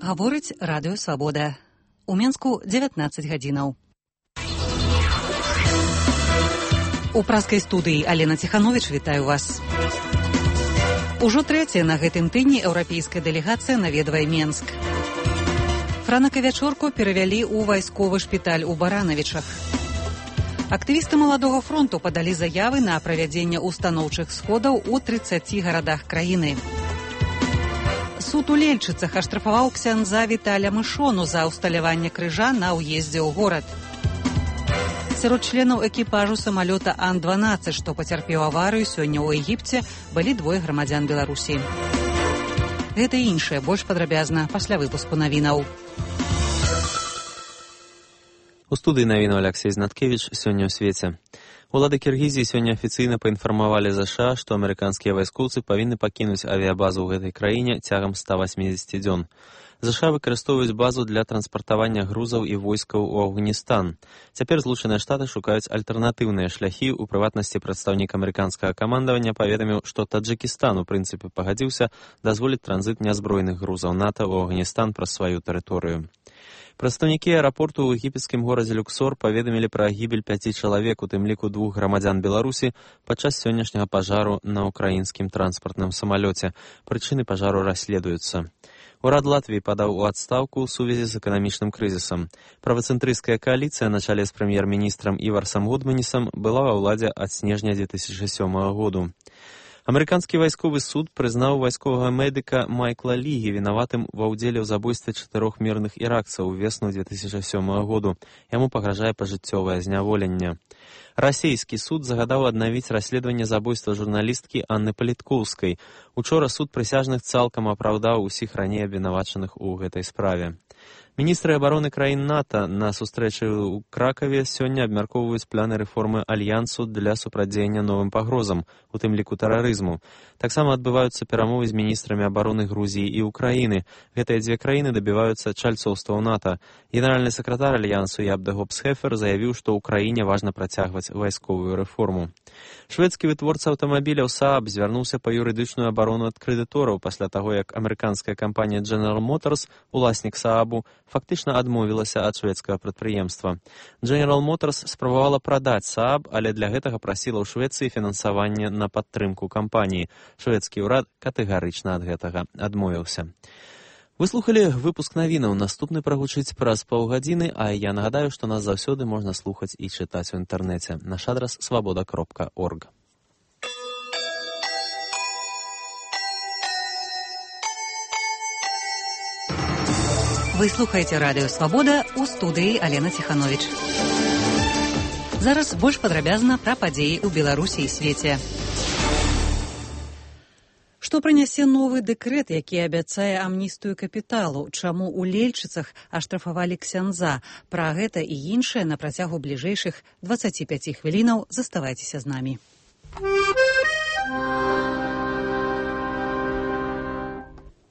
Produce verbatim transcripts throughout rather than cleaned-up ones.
Гаворыць радыё «Свабода». У Менску дзевятнаццаць гадзінаў. У праскай студыі Алена Ціхановіч вітаю вас. Ужо трэцяя на гэтым тыдні еўрапейская дэлегацыя наведвае Менск. Франака вячорку перавялі ў вайсковы шпіталь у Баранавічах. Актывісты Маладога фронту падалі заявы на правядзенне устаноўчых сходаў у трыццаці гарадах краіны. Суд у Лельчыцах аштрафаваў ксяндза Віталя Мышону за ўсталяванне крыжа на ўездзе ў горад. Сярод членаў экіпажу самалёта Ан дванаццаць, што пацярпеў аварыю сёння ў Егіпце, былі двое грамадзян Беларусі. Гэта і іншае больш падрабязна пасля выпуску навінаў. У студыі навінаў Алексей Знаткевич сёння ў свеце. Улады Кіргізіі сёння афіцыйна паінфармавалі ЗША, што амерыканскія вайскоўцы павінны пакінуць авіябазу ў гэтай краіне цягам ста васьмідзесяці дзён. ЗША выкарыстоўваюць базу для транспартавання грузаў і войскаў у Афганістан. Цяпер Злучаныя Штаты шукаюць альтэрнатыўныя шляхі, у прыватнасці прадстаўнік амерыканскага камандавання паведаміў, што Таджыкістан у прынцыпе пагадзіўся дазволіць транзіт нязброеных грузаў НАТО ў Афганістан праз сваю тэрыторыю. Прадстаўнікі аэрапорту ў егіпецкім горадзе Люксор паведамілі пра гібель пяці чалавек, у тым ліку двух грамадзян Беларусі, падчас сённяшняга пажару на ўкраінскім транспартным самалёце. Прычыны пажару расследуюцца. Урад Латвіі падаў у адстаўку ў сувязі з эканамічным крызісам. Правацэнтрысцкая кааліцыя на чале з прэм'ер-міністрам Іварсам Гудманісам была ва ўладзе ад снежня дзве тысячы сёмага году. Амерыканскі вайсковы суд прызнаў вайсковага медыка Майкла Лігі вінаватым ва ўдзеле ў забойстве чатырох мірных іракцаў увесну дзве тысячы сёмага году. Яму пагражае пажыццёвае зняволенне. Расійскі суд загадаў аднавіць расследаванне забойства журналісткі Анны Паліткоўскай. Учора суд прысяжных цалкам апраўдаў усіх раней абвінавачаных у гэтай справе. Міністры абароны краін НАТО на сустрэчы ў Кракаве сёння абмяркоўваюць планы рэформы альянсу для супрацьдзеяння новым пагрозам, у тым ліку тэрарызму. Таксама адбываюцца перамовы з міністрамі абароны Грузіі і Украіны. Гэтыя дзве краіны дабіваюцца чальцоўства ў НАТО. Генеральны сакратар альянсу Ябде Гобсхефер заявіў, што ў краіне важна працягваць вайсковую рэформу. Шведскі вытворца аўтамабіляў Saab звярнуўся па юрыдычную абарону ад крэдытораў пасля таго, як амерыканская кампанія General Motors, уласнік Saab, фактычна адмовілася ад шведскага прадпрыемства. General Motors спрабавала прадаць Saab, але для гэтага прасіла ў Швецыі фінансаванне на падтрымку кампаніі. Шведскі ўрад катэгарычна ад гэтага адмовіўся. Вы слухалі выпуск навінаў. Наступны прагучыць праз паўгадзіны, а я нагадаю, што нас заўсёды можна слухаць і чытаць у інтэрнэце. Наш адрас свабода кропка орг. Вы слухаеце радыё «Свабода», у студыі Алена Ціхановіч. Зараз больш падрабязна пра падзеі ў Беларусі і свеце. Што прынясе новы дэкрэт, які абяцае амністыю капіталу? Чаму ў Лельчыцах аштрафавалі ксяндза? Пра гэта і іншае на працягу бліжэйшых дваццаці пяці хвілінаў. Заставайцеся з намі.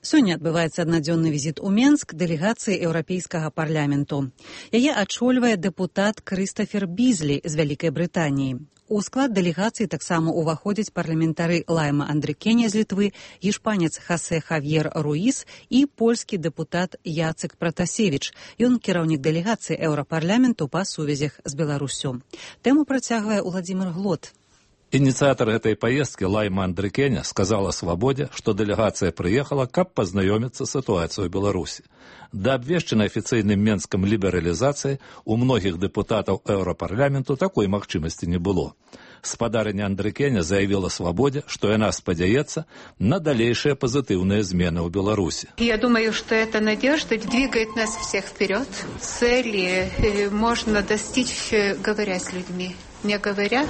Сёння адбываецца аднадзённы візіт у Менск дэлегацыі Еўрапейскага парламенту. Яе ачольвае дэпутат Крыстафер Бізлі з Вялікай Брытаніі. У склад дэлегацыі таксама ўваходзяць парламентары Лайма Андрыкеня з Літвы, іспанец Хасе Хавьер Руіс і польскі дэпутат Яцек Пратасевіч. Ён кіраўнік дэлегацыі Еўрапарламенту па сувязях з Беларусю. Тэму працягвае Уладзімир Глот. Инициатор этой поездки Лайма Андрыкеня сказала «Свободе», что делегация приехала, каб познакомиться с ситуацией в Беларуси. До обвешченной официальным Менском либерализации у многих депутатов Европарламенту такой махчимости не было. Спадарыня Андрыкеня заявила «Свободе», что она спадзяецца на дальнейшие позитивные измены в Беларуси. Я думаю, что эта надежда двигает нас всех вперед. Цели можно достичь, говоря с людьми. Не говоря,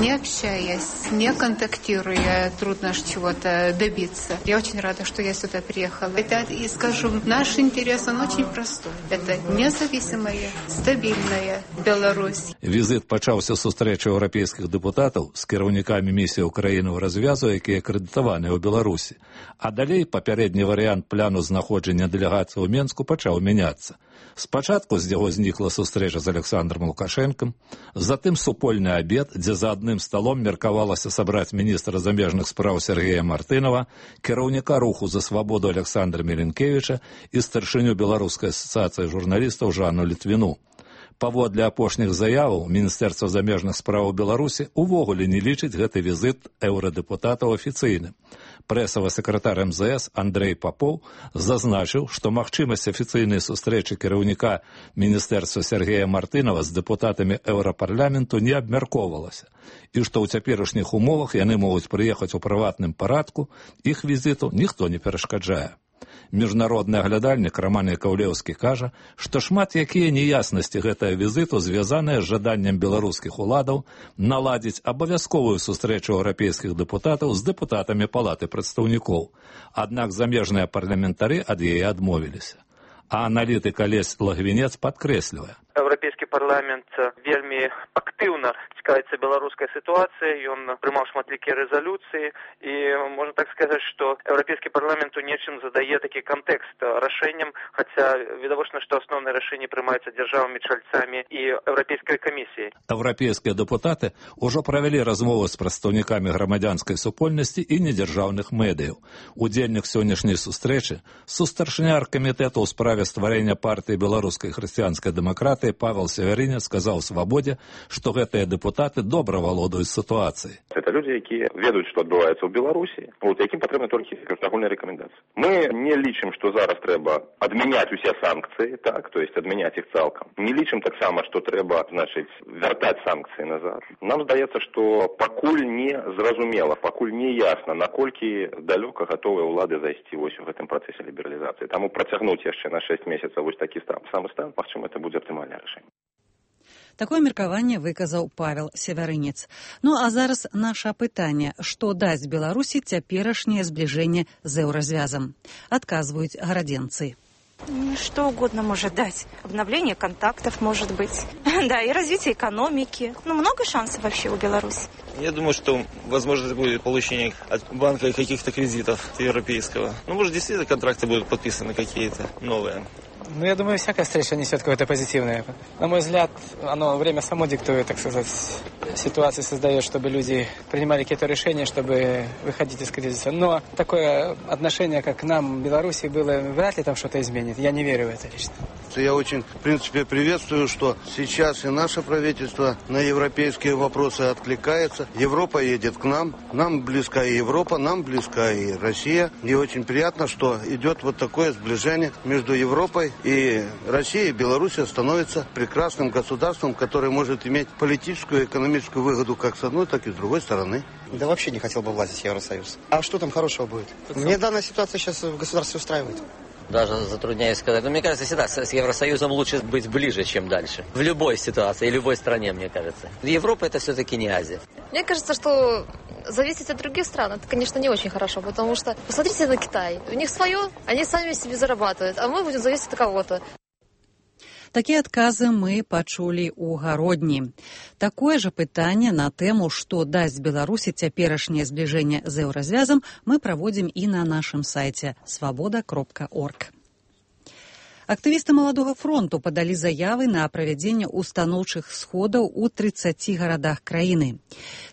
не общаясь, не контактируя, трудно чего-то добиться. Я очень рада, что я сюда приехала. Это, и скажу, наш интерес, он очень простой. Это независимая, стабильная Беларусь. Візит пачаўся з сустрэчы еўрапейскіх дэпутатаў з кіраўнікамі місіі ўкраіны ў развязу, якія акрэдытаваныя ў Беларусі. А далей папярэдні варыянт пляну знаходжання дэлегацыі ў Менску пачаў мяняцца. Спачатку з яго знікла сустрэча з Александром Лукашенком, затым супольны абед, дзе за адным сталом меркавалася сабраць міністра замежных спраў Сергея Мартынова, кіраўніка руху за свабоду Александра Меленкевича і старшыню Беларускай асацыяцыі журналістаў Жанну Літвіну. Паводле апошніх заяваў, Міністэрства замежных спраў Беларусі увогуле не лічыць гэты візіт еўрадэпутатаў афіцыйным. Прэсавы сакратар эм зэ эс Андрэй Папоў зазначыў, што магчымасць афіцыйнай сустрэчы кіраўніка Міністэрства Сергея Мартынова з дэпутатамі еўрапарламенту не абмяркоўвалася, і што ў цяперашніх умовах яны могуць прыехаць у прыватным парадку, іх візіту ніхто не перашкаджае. Міжнародны аглядальнік Роман Якаўлеўскі кажа, што шмат якія неяснасці гэтага візіту звязаныя з жаданнем беларускіх уладаў наладзіць абавязковую сустрэчу еўрапейскіх дэпутатаў з дэпутатамі палаты прадстаўнікоў. Аднак замежныя парламентары ад яе адмовіліся. А аналітык Алесь Лагвінец падкрэслівае. Еўрапейскі парламент вельмі актыўна цікавіцца беларускай сітуацыяй, ён прымаў шматлікія рэзалюцыі, і можна так сказаць, што еўрапейскі парламент у нечым задае такі кантэкст рашэнням, хаця відавочна, што асноўныя рашэнні прымаюцца дзяржавамі-чальцамі і еўрапейскай камісіяй. Еўрапейскія дэпутаты ўжо правялі размовы з прадстаўнікамі грамадзянскай супольнасці і недзяржаўных медыяў. Удзельнік сённяшняй сустрэчы, сустаршыня аргкамітэту ў справе стварэння партыі беларускай хрысціянскай дэмакратыі Павел Северинец сказаў «Свабодзе», што гэтыя дэпутаты добра валодаюць сітуацыяй. Это люди, якія ведаюць, што адбываецца ў Беларусі, вот, якім патрэбны толькі агульныя рэкамендацыі. Мы не лічым, што зараз трэба адмяняць усе санкцыі, так, то есть адмяняць іх цалкам. Не лічым таксама, што трэба, значыць, вяртаць санкцыі назад. Нам здаецца, што пакуль не зразумела, пакуль не ясна, наколькі далёка гатовыя ўлады зайсці вось у гэтым працэсе лібералізацыі. Таму працягнуць яшчэ на шэсць месяцаў вось такі стан, самы стан, магчыма, это будзе аптымальнае рашэнне. Такое меркаванне выказаў Павел Северинец. Ну а зараз наша пытанне, што дасць Беларусі цяперашняе збліжэнне з еўразвязам. Адказваюць гарадзенцы. Что угодно может дать. Обновление контактов, может быть. Да, и развитие экономики. Ну, много шансов вообще у Беларуси. Я думаю, что возможно будет получение от банка каких-то кредитов европейского. Ну, может, действительно контракты будут подписаны какие-то новые. Ну, я думаю, всякая встреча несет какое-то позитивное. На мой взгляд, оно время само диктует, так сказать, ситуацию создает, чтобы люди принимали какие-то решения, чтобы выходить из кризиса. Но такое отношение, как к нам, Беларуси, было, вряд ли там что-то изменит. Я не верю в это лично. Я очень, в принципе, приветствую, что сейчас и наше правительство на европейские вопросы откликается. Европа едет к нам, нам близка и Европа, нам близка и Россия. И очень приятно, что идет вот такое сближение между Европой и Россией. Белоруссия становится прекрасным государством, которое может иметь политическую и экономическую выгоду как с одной, так и с другой стороны. Да вообще не хотел бы влазить в Евросоюз. А что там хорошего будет? Мне данная ситуация сейчас в государстве устраивает. Даже затрудняюсь сказать. Но мне кажется, всегда с Евросоюзом лучше быть ближе, чем дальше. В любой ситуации, любой стране, мне кажется. Европа это все-таки не Азия. Мне кажется, что зависеть от других стран, это, конечно, не очень хорошо, потому что посмотрите на Китай. У них свое, они сами себе зарабатывают, а мы будем зависеть от кого-то. Такія адказы мы пачулі ў гародні. Такое же пытанне на тэму, што дасць Беларусі цяперашняе збліжэнне з еўразвязам, мы праводзім і на нашым сайце свабода кропка орг. Актывісты Маладога фронту падалі заявы на правядзенне устаноўчых сходаў у трыццаці гарадах краіны.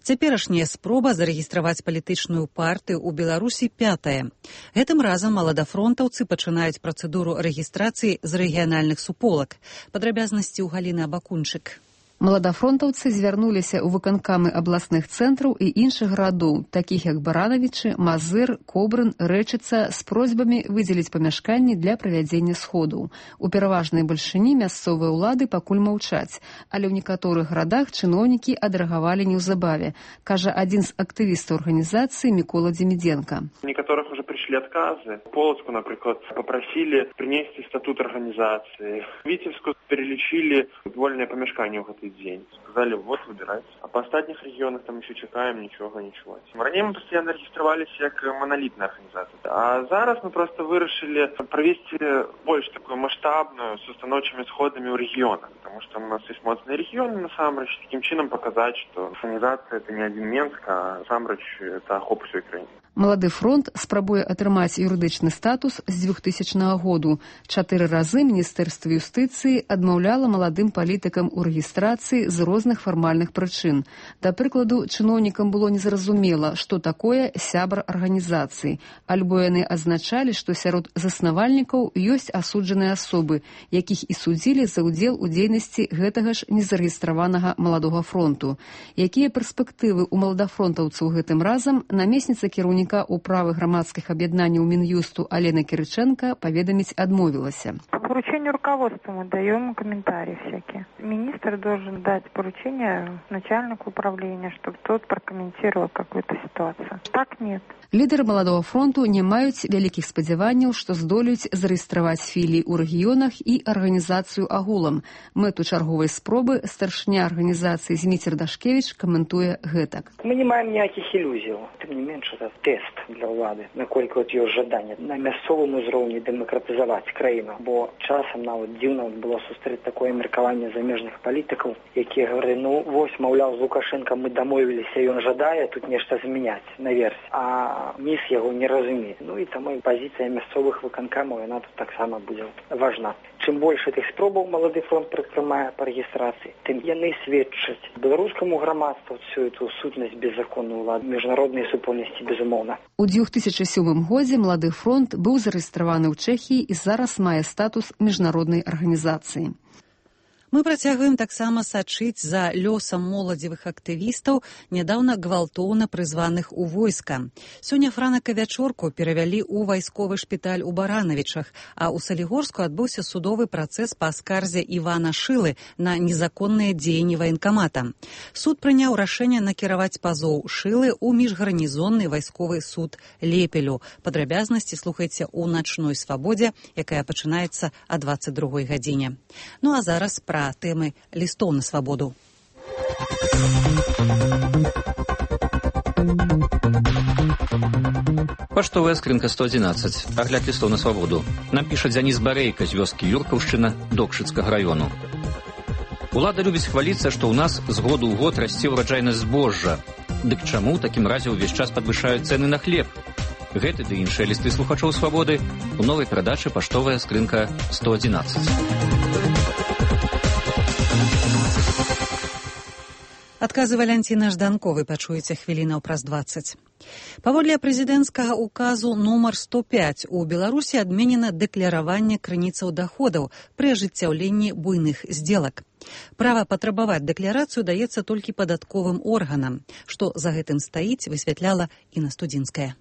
Цяперашняя спроба зарэгістраваць палітычную партыю ў Беларусі пятая. Гэтым разам маладафронтаўцы пачынаюць працэдуру рэгістрацыі з рэгіянальных суполак. Падрабязнасці ў Галіны Абакунчык. Маладафронтаўцы звярнуліся ў выканкамы абласных цэнтраў і іншых гарадоў, такіх як Баранавічы, Мазыр, Кобрын, Рэчыца, з просьбамі выдзеліць памяшканні для правядзення сходаў. У пераважнай бальшыні мясцовыя ўлады пакуль маўчаць, але ў некаторых гарадах чыноўнікі адрэагавалі неўзабаве, кажа адзін з актывістаў арганізацыі Мікола Дземідзенка. У некаторых уже пришли отказы. Полоцку, например, попросили принести статут организации. Витебску перелечили вольное помешкание в этот день. Сказали, вот, выбирайте. А по остальных регионах там еще чекаем, ничего, ничего. Ранее мы постоянно регистрировались как монолитная организация. А зараз мы просто вырашили провести больше такую масштабную с установчими сходами у региона. Потому что у нас есть моцные регионы, на самом деле, таким чином показать, что организация это не один Менск, а сам это охоп всей Украины. Малады фронт спрабуе спрабуе атрымаць юрыдычны статус з двухтысячнага году. Чатыры разы Міністэрства юстыцыі адмаўляла маладым палітыкам у рэгістрацыі з розных фармальных прычын. Да прыкладу, чыноўнікам было незразумела, што такое сябар арганізацыі, альбо яны азначалі, што сярод заснавальнікаў ёсць асуджаныя асобы, якіх і судзілі за ўдзел у дзейнасці гэтага ж незарэгістраванага маладога фронту. Якія перспектывы ў маладафронтаўцаў гэтым разам, намесніца кіраўніка управы грамадскіх аб'яднанняў Мін'юсту Алена Кириченко поведомить отмовилась. По поручению руководства мы даем комментарии всякие. Министр должен дать поручение начальнику управления, чтобы тот прокомментировал какую-то ситуацию. Так нет. Лідары маладога фронту не маюць вялікіх спадзяванняў, што здолеюць зарэгістраваць філіі ў рэгіёнах і арганізацыю агулам. Мэту чарговай спробы старшыня арганізацыі Зміцер Дашкевіч каментуе гэтак. Мы не маем ніякіх ілюзій. Тым не менш, это тест для ўлады, наколькі от ёсць жаданне на мясцовым узроўні дэмакратызаваць краіну. Бо часам нават дзіўна было сустрэць такое меркаванне замежных палітыкаў, якія гаварылі, ну вось, маўляў, з Лукашенко мы дамовіліся, ён жадае тут нешта змяняць наверсе. А ніс яго не разумее. Ну і таму пазіцыя мясцовых выканкамаў, яна тут таксама будзе важна. Чым больш гэтых спробаў малады фронт прытрымае па рэгістрацыі, тым яны сведчаць беларускаму грамадству всю эту сутнасць беззаконную ўлады, міжнароднай супольнасці, безумоўна. У две тысячи сёмым годзе малады фронт быў зарэгістраваны ў Чэхіі і зараз мае статус міжнароднай арганізацыі. Мы працягваем таксама сачыць за лёсам моладзевых актывістаў, нядаўна гвалтоўна прызваных у войска. Сёння Франака Вячорку перавялі ў вайсковы шпіталь у Баранавічах, а ў Салігорску адбыўся судовы працэс па скарзе Івана Шылы на незаконныя дзеянні ваенкамата. Суд прыняў рашэнне накіраваць пазоў Шылы ў міжгарнізонны вайсковы суд Лепелю. Падрабязнасці слухайце ў начной свабодзе, якая пачынаецца о двадцать другой гадзіне. Ну а зараз пра тэмы лістоў на свабоду. Паштовая скрынка сто одиннадцать. Агляд лістоў на свабоду. Нам піша Дзяніс Барейка з вёскі Юркаўшчына Докшыцкага раёну. Улада любіць хваліцца, што ў нас з году ў год расце ўраджайнасць збожжа. Дык чаму ў такім разе ўвесь час падвышаюць цэны на хлеб? Гэты ды іншыя лісты слухачоў свабоды у новай перадачы паштовая скрынка сто одиннадцать. Адказы Валянціна Жданковай пачуеце хвілінаў праз дваццаць. Паводле прэзідэнцкага указу нумар сто пять у Беларусі адменена дэклараванне крыніцаў даходаў пры ажыццяўленні буйных здзелак. Права патрабаваць дэкларацыю даецца толькі падатковым органам. Што за гэтым стаіць, высвятляла Інна Студзінская.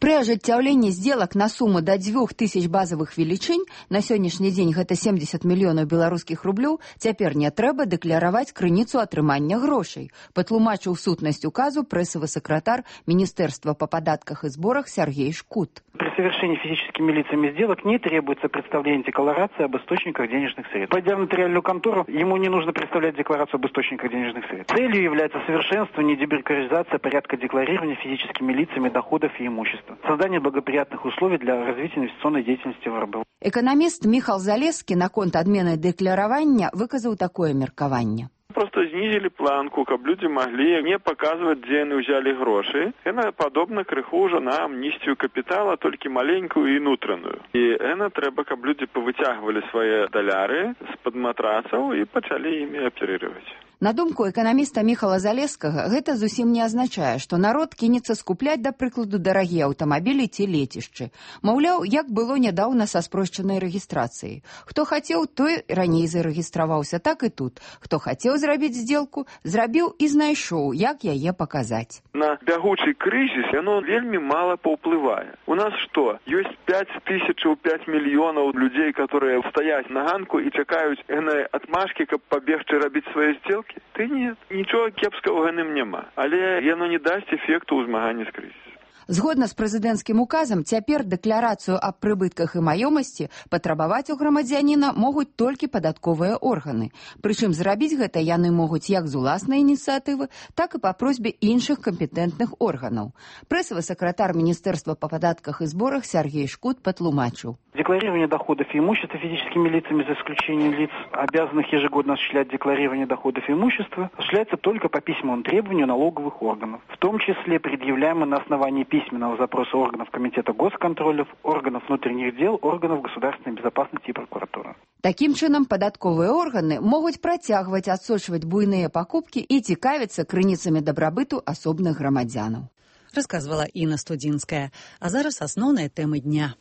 При ажыццяўленні сделак на сумму до двух тысяч базовых велічынь, на сённяшні дзень гэта семьдесят мільёнаў беларускіх рублёў, цяпер не трэба дэклараваць крыніцу атрымання грошай, патлумачыў сутнасць указу прэсавы сакратар Министерства по податках и сборах Сергей Шкут. При совершении физическими лицами сделок не требуется представление декларации об источниках денежных средств. Пойдя в нотариальную контору, ему не нужно представлять декларацию об источниках денежных средств. Целью является совершенствование и дебюрократизация порядка декларирования физическими лицами доходов и имущества. Создание благоприятных условий для развития инвестиционной деятельности в эр бэ. Экономист Михал Залескі наконт адмены дэкларавання выказаў такое меркаванне. Просто снизили планку, каб люди могли не показывать, где они взяли гроши. Это подобно крыху уже на амнистию капитала, только маленькую и внутреннюю. И это треба, каб люди повытягивали свои доляры с-под матрасов и почали ими оперировать. На думку эканаміста Міхала Залескага, гэта зусім не азначае, што народ кінецца скупляць, да прыкладу, дарагія аўтамабілі ці лецішчы. Маўляў, як было нядаўна са спрошчанай рэгістрацыяй. Хто хацеў, той раней зарэгістраваўся, так і тут. Хто хацеў зрабіць здзелку, зрабіў і знайшоў, як яе паказаць. На бягучы крызіс яно вельмі мала паўплывае. У нас што? Ёсць пять тысяч, пять мільёнаў людзей, которые стаяць на ганку і чакаюць гнай атмашкі, каб пабегчы рабіць свае здзелкі? Ты нет, нічого кепскага ў гэтым няма, але яно не дасць эфекту ў змаганні з крызісам. Згодна з прэзідэнцкім указам, цяпер дэкларацыю аб прыбытках і маёмасці патрабаваць у грамадзяніна могуць толькі падатковыя органы. Прычым зрабіць гэта яны могуць як з уласнай ініцыятывы, так і па просьбе іншых кампетэнтных органаў. Прэсавы сакратар Министерства по податках и сборах Сергей Шкут патлумачыў. Декларирование доходов и имущества физическими лицами, за исключением лиц, обязанных ежегодно осуществлять декларирование доходов и имущества, осуществляется только по письмовому требованию налоговых органов, в том числе предъявляемым на основании письменного запроса органов Комитета госконтроля, органов внутренних дел, органов государственной безопасности и прокуратуры. Такім чынам, падатковыя органы могуць працягваць адсочваць буйныя пакупкі і цікавіцца крыніцамі дабрабыту асобных грамадзянаў. Расказвала Інна Студзінская. А зараз асноўныя тэмы дня.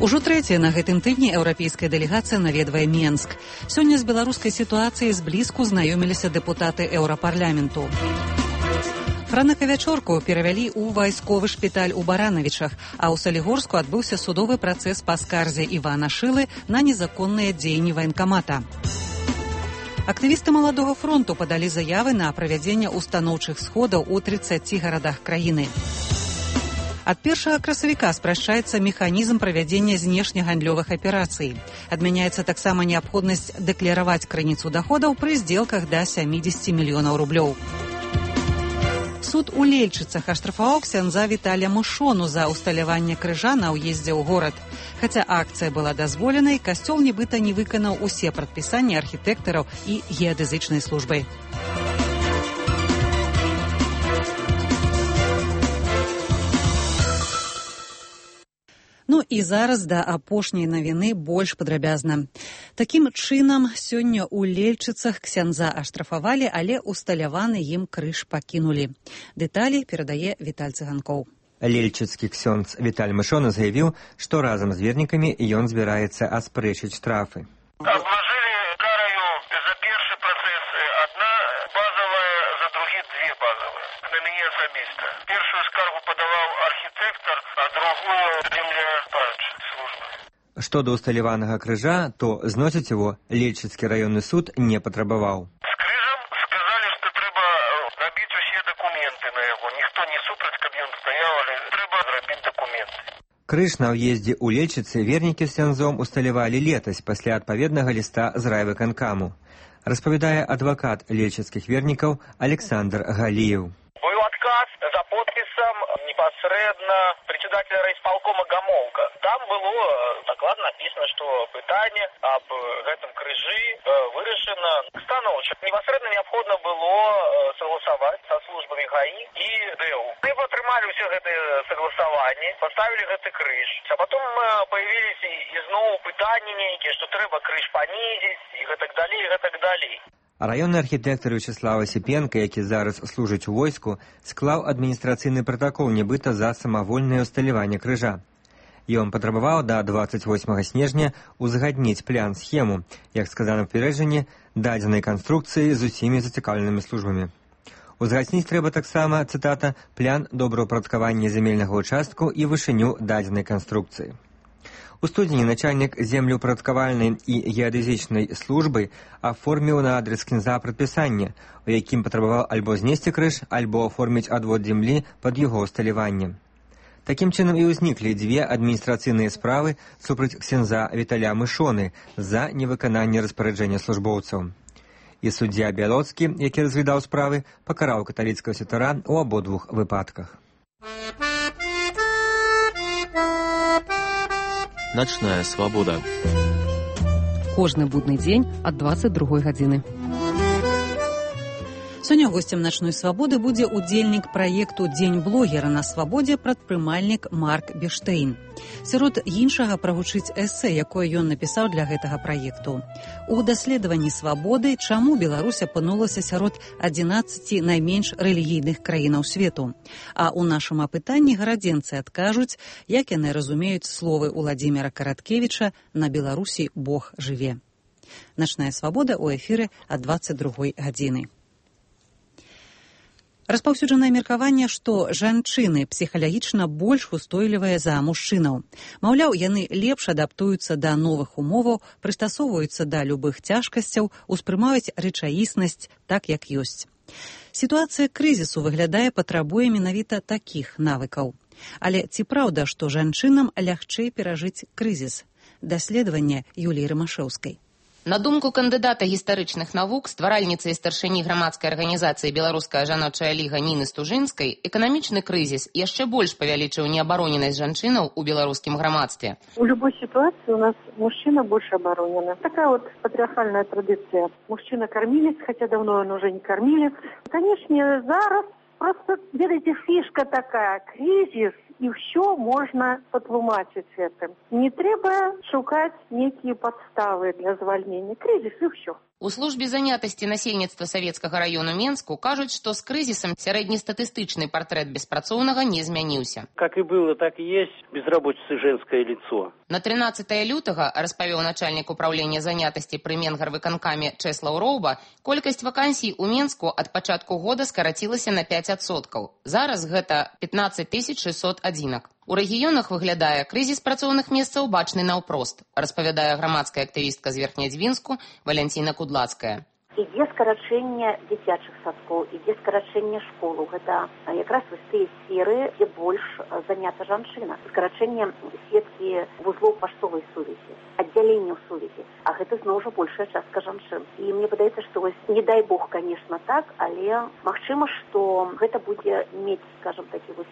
Ужо трэцяя на гэтым тыдні еўрапейская дэлегацыя наведвае Менск. Сёння з беларускай сітуацыяй зблізку знаёміліся дэпутаты еўрапарламенту. Франака Вячорку перавялі ў вайсковы шпіталь у Баранавічах, а ў Салігорску адбыўся судовы працэс па скарзе Івана Шылы на незаконныя дзеянні ваенкамата. Актывісты Маладога фронту падалі заявы на правядзенне устаноўчых сходаў у трыццаці гарадах краіны. Ад першага красавіка спрашчаецца механізм правядзення знешнегандлёвых аперацый. Адмяняецца таксама неабходнасць дэклараваць крыніцу даходаў пры здзелках да сямідзесяці мільёнаў рублёў. Суд у Лельчыцах аштрафаваў ксяндза Віталія Мышону за усталяванне крыжа на ўездзе ў горад. Хаця акцыя была дазволенай, касцёл нібыта не выканаў усе прадпісанні архітэктараў і геадэзычнай службы. Ну і зараз да апошняй навіны больш падрабязна. Такім чынам, сёння ў Лельчыцах ксяндза аштрафавалі, але усталяваны ім крыж пакінулі. Дэталі перадае Віталь Цыганкоў. Лельчыцкі ксёндз Віталь Мышоны заявіў, што разам з вернікамі ён збіраецца аспрэчыць штрафы. Обложили караю за першы працэс одна базовая, за другі две базовые. На мяне асабіста. Першую скаргу падаваў архітэктар, а другую земляпарачная служба. Што да усталяванага крыжа, то зносіць его Лельчыцкі раённы суд не патрабаваў. З крыжам сказалі, што трэба рабіць усе дакументы на яго. Ніхто не супраць, каб ён стаяў, але трэба зрабіць дакументы. Крыж на ўездзе ў Лельчыцы вернікі з ксяндзом усталявалі летась пасля адпаведнага ліста з райвыканкаму. Распавядае адвакат лельчыцкіх вернікаў Александр Галіев. Быў адказ за подпісам непасрэдна председателя райисполкома Гамолка. Там было дакладна написано, што пытанне аб гэтым крыжы вырашана станоўча. Непасрэдна неабходна было согласаваць са службамі ГАИ і ДЭУ. Мы атрымалі ўсе гэтыя согласаванні, паставілі гэты крыж. А потом появились ізноў пытанні нейкія, што трэба крыж панізіць і гэтак далей, і гэтак далей. Раённы архітэктар Вячеслав Осіпенка, які зараз служыць у войску, склаў адміністрацыйны пратакол нібыта за самавольнае усталяванне крыжа. Ён патрабаваў да дваццаць восьмага снежня узгадніць план-схему, як сказана ў папярэджанні, дадзенай канструкцыі з усімі зацікаўленымі службамі. Узгадніць трэба таксама, цытата, план добраўпарадкавання зямельнага ўчастку і вышыню дадзенай канструкцыі. У студзені начальнік землеўпарадкавальнай і геадэзічнай службы аформіў на адрес ксяндза прадпісанне, у якім патрабаваў альбо знесці крыж, альбо аформіць адвод зямлі пад яго усталяванне. Такім чынам і ўзніклі дзве адміністрацыйныя справы супраць ксяндза Віталя Мышоны за невыкананне распараджэння службоўцаў. І суддзя Бялоцкі, які разглядаў справы, пакараў каталіцкага святара ў абодвух выпадках. Начная свабода. Кожны будны дзень ад дваццаць другой гадзіны. Сёння госцем начной свабоды будзе удзельнік праекту «Дзень блогера» на свабодзе прадпрымальнік Марк Бештейн. Сярод іншага прагучыць эсэ, якое ён напісаў для гэтага праекту. У даследаванні свабоды, чаму Беларусь апынулася сярод адзінаццаці найменш рэлігійных краінаў свету. А ў нашым апытанні гарадзенцы адкажуць, як яны разумеюць словы Уладзіміра Караткевіча «На Беларусі Бог жыве». Начная свабода ў эфіры ад дваццаць другой гадзіны. Распаўсюджанае меркаванне, што жанчыны псіхалагічна больш устойлівыя за мужчынаў. Маўляў, яны лепш адаптуюцца да новых умоваў, прыстасоўваюцца да любых цяжкасцяў, успрымаюць рэчаіснасць так, як ёсць. Сітуацыя крызісу выглядае патрабуе менавіта такіх навыкаў. Але ці праўда, што жанчынам лягчэй перажыць крызіс? Даследаванне Юліі Рымашэўскай. На думку кандыдата гістарычных навук, стваральніцы і старшыні грамадскай арганізацыі «Беларуская жаночая ліга» Ніны Стужынскай, эканамічны крызіс яшчэ больш павялічыў неабароненасць жанчынаў у беларускім грамадстве. У любой ситуации у нас мужчина больше оборонен. Такая вот патриархальная традиция. Мужчина-кормилец, хотя давно он уже не кормилец. Конечно, зараз просто, видите, фишка такая, кризис, и все можно потлумачить этим. Не треба шукать некие подставы для звольнения. Кризис и все. У службе занятасці насельніцтва савецкага раёну Менску кажуць, што з крызісам сярэднестатыстычны партрэт беспрацоўнага не змяніўся. Как и было, так и есть. Безработица женское лицо. На трынаццатае лютага, распавёў начальнік управлення занятасці пры Менгарвыканкаме Чэслаў Роўба, колькасць вакансій у Менску ад пачатку года скарацілася на пяць адсоткаў. Зараз гэта пятнаццаць тысяч шэсцьсот адзінак. У рэгіёнах выглядае крызіс працоўных месцаў бачны наўпрост, распавядае грамадская актывістка з Верхнядзвінску Валянціна Кудлацкая. Ідзе скарачэнне дзіцячых садкоў, ідзе скарачэнне школ. Гэта якраз вось тыя сферы, дзе больш занята жанчына. Скарачэнне сеткі вузлоў паштовай сувязі, аддзяленняў сувязі. А гэта зноў жа большая частка жанчын. І мне падаецца, што вось не дай бог, конечно, так, але магчыма, што гэта будзе мець, скажем, такі вось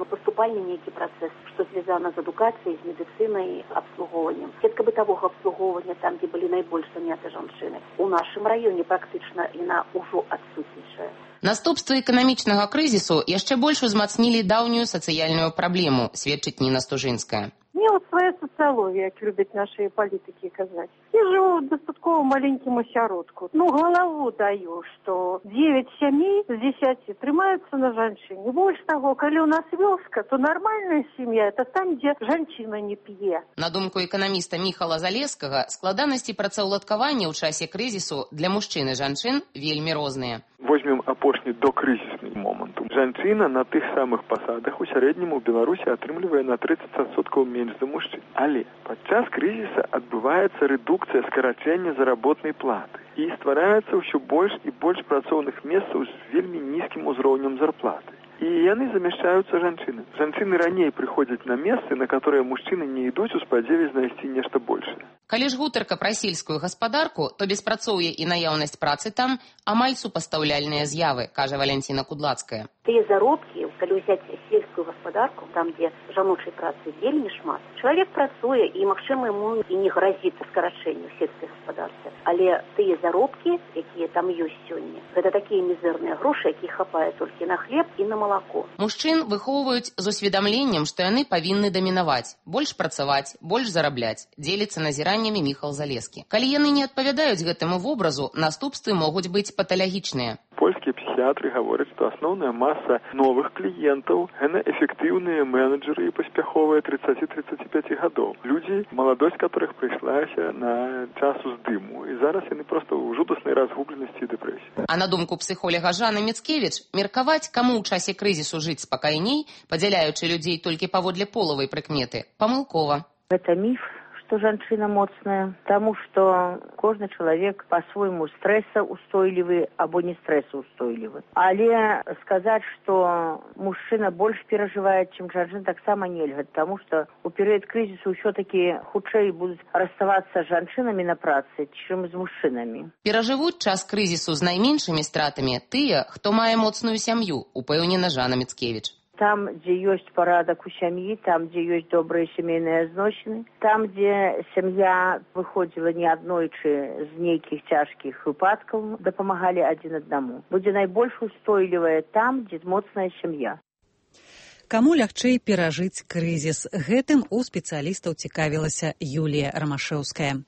поступальны нейкі працэс, што звязана з адукацыяй, з медыцынай, абслугоўваннем. Сетка бытавога абслугоўвання там, дзе былі найбольш заняты жанчыны. У нашым раёне практычна яна ўжо адсутнічае. Наступствы эканамічнага крызісу яшчэ больш узмацнілі даўнюю сацыяльную праблему, сведчыць Ніна Стужынская. Мне вот своя социология, как любят наши политики казать. Я живу в достатково маленьким осяродку. Ну, голову даю, что девять семей з десяти трымаются на жанчыне. Больш таго, калі у нас вёска, то нормальная семья – это там, где жанчына не п'е. На думку эканаміста Міхала Залескага, складанасці працаўладкавання ў часе крызісу для мужчын і жанчын вельмі розныя. Возьмем апошні докрызісны момант. Жанчына на тых самых пасадах у сярэднім у Беларусі атрымлівае на тридцать адсоткаў менш за мужчын. Але падчас крызіса адбываецца рэдукцыя скарачэння заработнай платы. І ствараецца ўсё больш і больш працоўных месцаў з вельмі нізкім узроўнем зарплаты. І яны замяшчаюцца жанчыны. Жанчыны раней прыходзяць на месцы, на которые мужчыны не ідуць у спадзеве знайсці нешта большае. Калі ж гутарка пра сельскую гаспадарку, то беспрацоўе і наяўнасць працы там амаль супастаўляльныя з'явы, кажа Валянціна Кудлацкая. Тыя заробкі, калі ўзяць сельскую гаспадарку, там, дзе жаночай працы вельмі шмат, чалавек працуе і, магчыма, яму і не гразіць скарачэнню сельскай гаспадарцы. Але тыя заробкі, якія там ёсць сёння, гэта такія мізэрныя грошы, якіх хапае толькі на хлеб і на малако. Мужчын выхоўваюць з усведамленнем, што яны павінны дамінаваць, больш працаваць, больш зарабляць, дзеліцца назіраннямі Міхал Залескі. Калі яны не адпавядаюць гэтаму вобразу, наступствы могуць быць паталагічныя. Польскія псіхіатры гавораць, што асноўная маса новых кліентаў – гэта эфектыўныя менеджеры і паспяховыя тридцать-тридцать пять гадоў. Людзі, маладосць которых прыйшлася на час уздыму. І зараз яны проста ў жудаснай разгубленасці і дэпрэсіі. А на думку псіхолага Жанны Міцкевіч, меркаваць, каму ў часе крызісу жыць спакайней, падзяляючы людзей толькі паводле полавай прыкметы, памылкова. Гэта міф, што жанчына моцная, таму што кожны чалавек па-свойму стрэсаўстойлівы або не стрэсаўстойлівы. Але сказаць, што мужчына больш перажывае, чым жанчына, таксама нельга, таму што ў перыяд крызісу ўсё-такі хутчэй будуць раставацца з жанчынамі на працы, чым з мужчынамі. Перажывуць час крызісу з найменшымі стратамі тыя, хто мае моцную сям'ю, упэўнена Жанна Міцкевіч. Там, дзе ёсць парадак у сям'і, там, дзе ёсць добрыя сямейныя зносіны, там, дзе сям'я выходзіла не аднойчы з нейкіх цяжкіх выпадкаў, дапамагалі адзін аднаму. Будзе найбольш устойлівая там, дзе моцная сям'я. Каму лягчэй перажыць крызіс? Гэтым у спецыялістаў цікавілася Юлія Рамашэўская.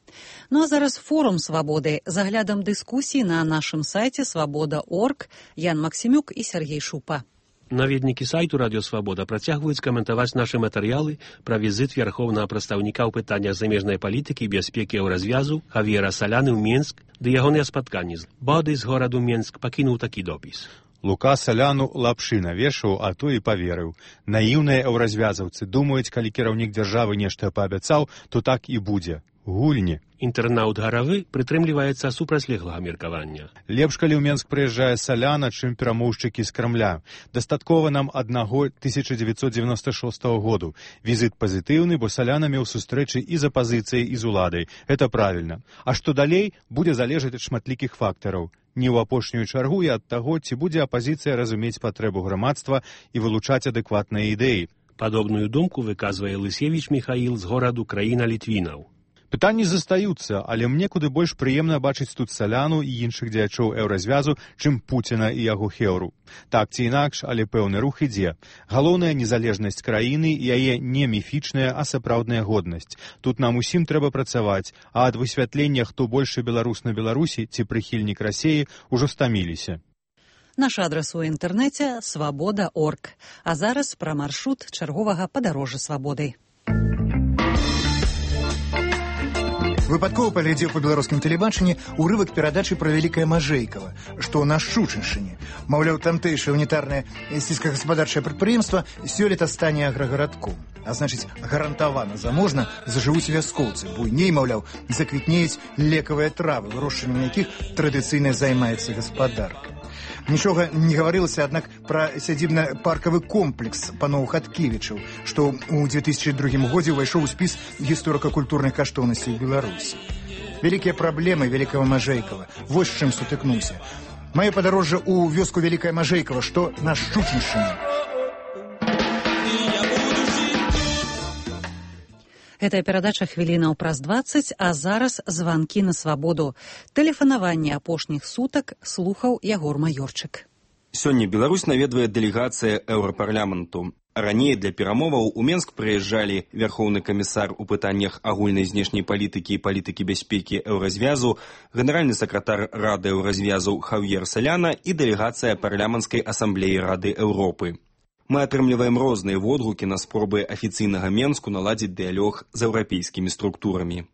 Ну а зараз форум свабоды з аглядам дыскусій на нашым сайце свабода точка орг. Ян Максімюк і Сергей Шупа. Наведнікі сайту «Радіосвабода» працягваюць каментаваць нашы матэрыялы пра візіт вярхоўнага прадстаўніка ў пытаннях замежнай палітыкі і бяспекі еўразвязу Хавіера Саляны ў Менск, ды ягоныя спатканні з бады з гораду Менск пакінуў такі допіс. Лука Саляну лапшы навешаў, а то і паверыў. Наіўныя еўразвязаўцы думаюць, калі кіраўнік дзяржавы нешта паабяцаў, то так і будзе. гульні. Інтэрнаут гаравы прытрымліваецца супрацьлеглага меркавання. Лепш, калі ў Менск прыязджае Саляна, чым перамоўшчыкі з Крамля. Дастаткова нам аднаго тысяча дзевяцьсот дзевяносто шостого году. Візіт пазітыўны, бо Саляна меў сустрэчы і з апазіцыяй, і з уладай. Это правільна. А што далей, будзе залежаць ад шматлікіх фактараў. Не ў апошнюю чаргу і ад таго, ці будзе апазіцыя разумець патрэбу грамадства і вылучаць адэкватныя ідэі. Падобную думку выказвае Лысевіч Міхаіл з гораду краіна Літвінаў. Пытанні застаюцца, але мне куды больш прыемна бачыць тут Саляну і іншых дзеячоў еўразвязу, чым Пуціна і яго хеўру. Так ці інакш, але пэўны рух ідзе. Галоўная незалежнасць краіны і яе не міфічная, а сапраўдная годнасць. Тут нам усім трэба працаваць, а ад высвятлення, хто большы беларус на Беларусі ці прыхільнік Расіі, ужо стаміліся. Наш адрас у інтэрнэце свабода точка орг. А зараз пра маршрут чарговага падарожжа свабодай. Выпадкова паглядзеў па беларускім тэлебачанні урывак перадачы пра вялікае Мажэйкава, што на Шчучыншчыне. Маўляў, тамтэйшае унітарнае сельскагаспадарчае прадпрыемства сёлета стане аграгарадком. А значыць, гарантавана заможна зажывуць вяскоўцы. Буйней, маўляў, заквітнеюць лекавыя травы, вырошчваннем якіх традыцыйна займаецца гаспадарка. Нічога не гаварылася, аднак, пра сядзібна-паркавы комплекс паноў Хаткевічаў, што ў две тысячы другім годзе ўвайшоў у спіс гісторыка-культурных каштоўнасцей Беларусі. Вялікія праблемы вялікага Мажэйкава. Вось з чым сутыкнуўся. Маё падарожжа ў вёску Вялікае Мажэйкава, што на Шчучыншчыне. Гэтая перадача хвілінаў праз дваццаць, а зараз званкі на свабоду. Тэлефанаванне апошніх сутак слухаў Ягор Маёрчык. Сёння Беларусь наведвае дэлегацыя Еўрапарламенту. Раней для перамоваў у Менск прыязджалі вярхоўны камісар у пытаннях агульнай знешняй палітыкі і палітыкі бяспекі Еўразвязу, генеральны сакратар Рады Еўразвязу Хавьер Саляна і дэлегацыя парламенцкай асамблеі Рады Еўропы. Мы атрымліваем розныя водгукі на спробы афіцыйнага Менску наладзіць дыялог з еўрапейскімі структурамі.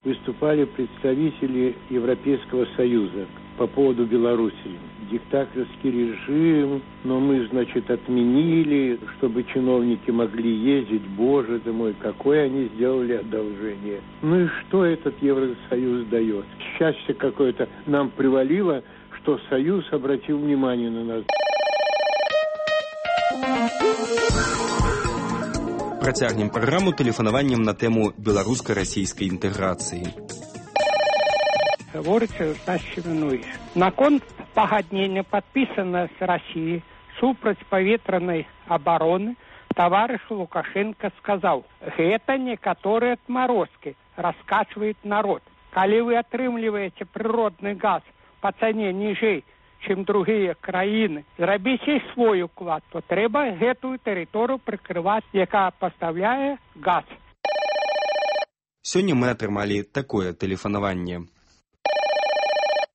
Выступали представители Европейского Союза по поводу Беларуси. Диктаторский режим, но мы, значит, отменили, чтобы чиновники могли ездить. Боже ты мой, какое они сделали одолжение. Ну и что этот Евросоюз дает? Счастье какое-то нам привалило, что Союз обратил внимание на нас. Працягнем праграму тэлефанаваннем на тэму беларуска-расійскай інтэграцыі. Гаворыцца Стас Семенович. Наконт пагаднення падпісана з Расіі супраць паветранай абароны таварыш Лукашенко сказаў: гэта некаторыя адмарозкі раскачваюць народ. Калі вы атрымліваеце прыродны газ па цане ніжэй, чым другія краіны, зрабіце свой уклад, то трэба гэтую тэрыторыю прыкрываць, якая пастаўляе газ. Сёння мы атрымалі такое тэлефанаванне.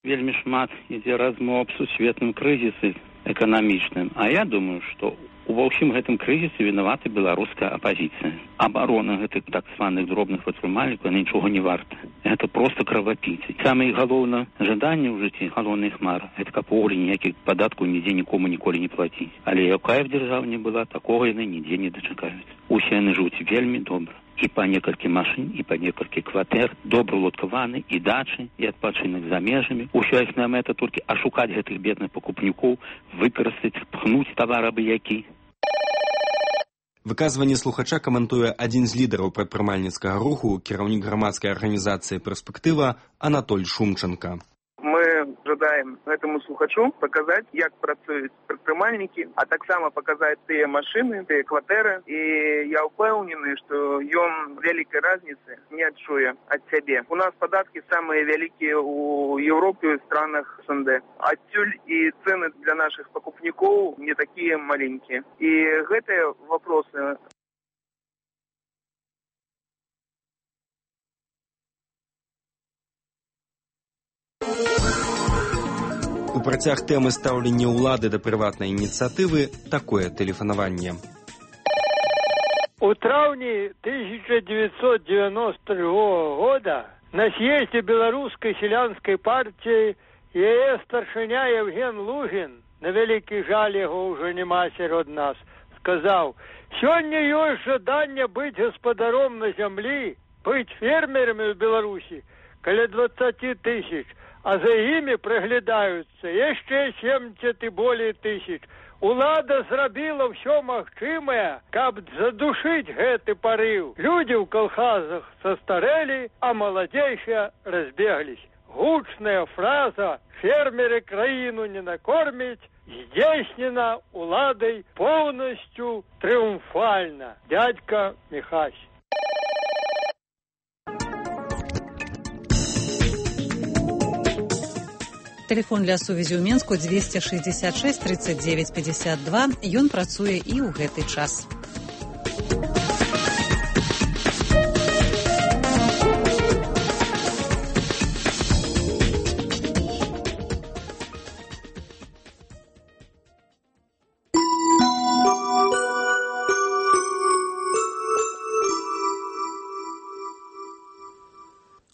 Вельмі шмат ідзе размоў аб сусветным крызісе эканамічным, а я думаю, што ува ўсім гэтым крызісе вінавата беларуская апазіцыя. Абарона гэтых так званых дробных прадпрымальнікаў нічога не варта. Гэта проста кровапійцы. Самае галоўнае жаданне ў жыцці, галоўная хмара, гэта каб увогуле ніякіх падаткаў нідзе нікому ніколі не плаціць. Але якая б дзяржава не была, такога яны нідзе не дачакаюць. Усе яны жывуць вельмі добра. І па некалькі машын, і па некалькі кватэр, добра ўладкаваны, і дачы, і адпачынак за межамі. Усё іхная мэта толькі ашукаць гэтых бедных пакупнікоў, выкарыстаць, пхнуць тавар абы-які. Выказванне слухача каментуе адзін з лідараў прадпрымальніцкага руху, кіраўнік грамадскай арганізацыі «Перспектыва» Анатоль Шумченко. Мы жадаем этому слухачу показать, як працуюць прадпрымальнікі, а таксама показать тыя машыны, тыя кватэры. І я ўпэўнены, што ён вялікай разніцы не адчуе ад сябе. У нас падаткі самыя вялікія ў Еўропе і странах эс эн дэ. Адсюль і цэны для нашых пакупнікоў не такія маленькія. І гэтыя вопросы У працяг тэмы стаўлення ўлады да прыватнай ініцыятывы такое тэлефанаванне. У траўні тысяча девятьсот девяносто другого года на съезде беларускай селянскай партии яе старшыня Евген Лугін, на вялікі жаль яго ўжо няма сярод нас, сказаў: «Сёння ёсць жаданне быць гаспадаром на зямлі, быть фермерами в Беларуси каля двадцати тысяч, а за ими приглядаются еще семьдесят и более тысяч. Улада зрабіла все магчымае, каб задушить гэты порыв. Люди в колхозах состарели, а молодейшие разбеглись. Гучная фраза «фермеры краину не накормить» здійснена уладой полностью триумфально. Дядька Михась. Телефон для сувязі ў Менску двести шестьдесят шесть тридцать девять пятьдесят два. Ён працуе і ў гэты час.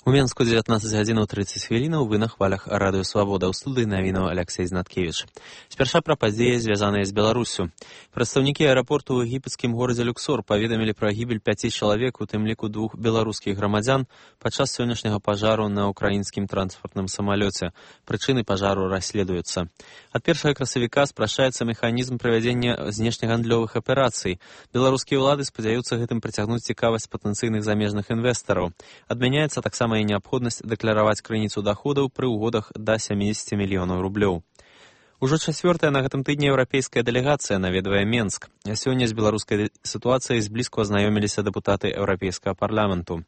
У Менску дзевятнаццаць гадзінаў трыццаць хвілінаў, вы на хвалях радыё Свабода. У студыі навінаў Алексей Знаткевіч. Спярша пра падзеі, звязаныя з Беларуссю. Прадстаўнікі аэрапорту ў егіпецкім горадзе Люксор паведамілі пра гібель пяці чалавек, у тым ліку двух беларускіх грамадзян, падчас сённяшняга пажару на ўкраінскім транспартным самалёце. Прычыны пажару расследуюцца. Ад першага красавіка спрашчаецца механізм правядзення знешнегандлёвых аперацый. Беларускія ўлады спадзяюцца гэтым прыцягнуць цікавасць патэнцыйных замежных інвестараў. Адмяняецца таксама і неабходнасць дэклараваць крыніцу даходаў пры ўгодах да сямдзесят мільёнаў рублёў. Ужо чацвёртая на гэтым тыдні еўрапейская дэлегацыя наведвае Менск. Сёння з беларускай сітуацыяй зблізку азнаёміліся дэпутаты еўрапейскага парламенту.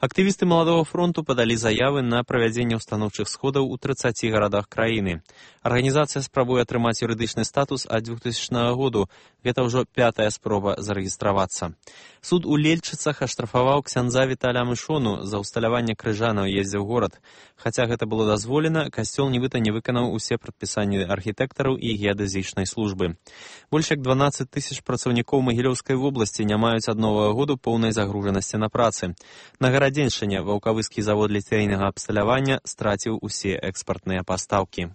Актывісты Маладога фронту падалі заявы на правядзенне устаноўчых сходаў у трыццаці гарадах краіны. Арганізацыя спрабуе атрымаць юрыдычны статус ад двухтысячнага году. Гэта ўжо пятая спроба зарэгістравацца. Суд у Лельчыцах аштрафаваў ксяндза Віталя Мышону за ўсталяванне крыжа на ўездзе ў горад. Хаця гэта было дазволена, касцёл нібыта не выканаў усе прадпісанні архітэктараў і геадэзічнай службы. Больш як дванаццаць тысяч працаўнікоў Магілёўскай вобласці не маюць ад новага году поўнай загружанасці на працы. На гарадзеншчыне ваўкавыскі завод ліцейнага абсталявання страціў усе экспартныя пастаўкі.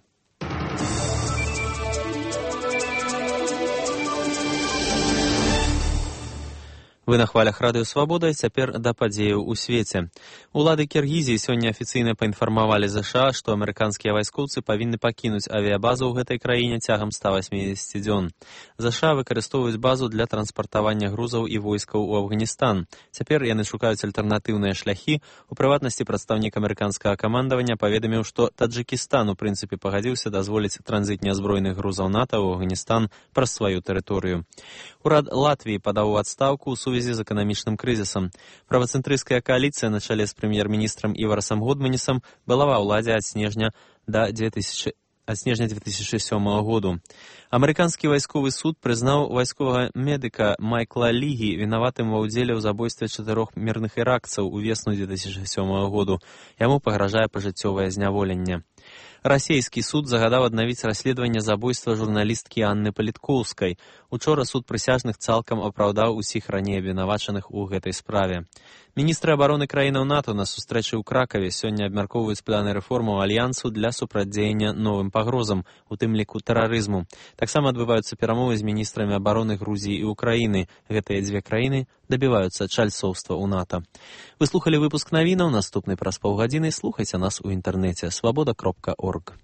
Вы на хвалях радыё Свабода, цяпер да падзеяў у свеце. Улады Кіргізіі сёння афіцыйна паінфармавалі ЗША, што амерыканскія вайскоўцы павінны пакінуць авіябазу ў гэтай краіне цягам ста васьмідзесяці дзён. ЗША выкарыстоўваюць базу для транспартавання грузаў і войскаў у Афганістан. Цяпер яны шукаюць альтэрнатыўныя шляхі. У прыватнасці прадстаўнік амерыканскага камандавання паведаміў, што Таджыкістан у прынцыпе пагадзіўся дазволіць транзіт нязброеных грузаў НАТО ў Афганістан праз сваю тэрыторыю. Урад Латвіі падаў у адстаўку ў сувязі з эканамічным крызісам. Правацэнтрысцкая кааліцыя на чале з прэм'ер-міністрам Іварасам Годманісам была ва ўладзе ад снежня да две тысячи ад снежня две тысячи сёмага году. Амерыканскі вайсковы суд прызнаў вайсковага медыка Майкла Лігі вінаватым ва ўдзеле ў забойстве чатырох мірных іракцаў у весну две тысячи сёмага году. Яму пагражае пажыццёвае зняволенне. Расійскі суд загадаў аднавіць расследаванне забойства журналісткі Анны Паліткоўскай. Учора суд прысяжных цалкам апраўдаў усіх раней абвінавачаных у гэтай справе. Міністры абароны краінаў НАТО на сустрэчы ў Кракаве сёння абмяркоўваюць планы рэформаў альянсу для супрацьдзеяння новым пагрозам, у тым ліку тэрарызму. Таксама адбываюцца перамовы з міністрамі абароны Грузіі і Украіны. Гэтыя дзве краіны дабіваюцца чальцоўства ў НАТО. Вы слухалі выпуск навінаў, наступны праз паўгадзіны слухайце нас у інтэрнэце свабода кропка орг.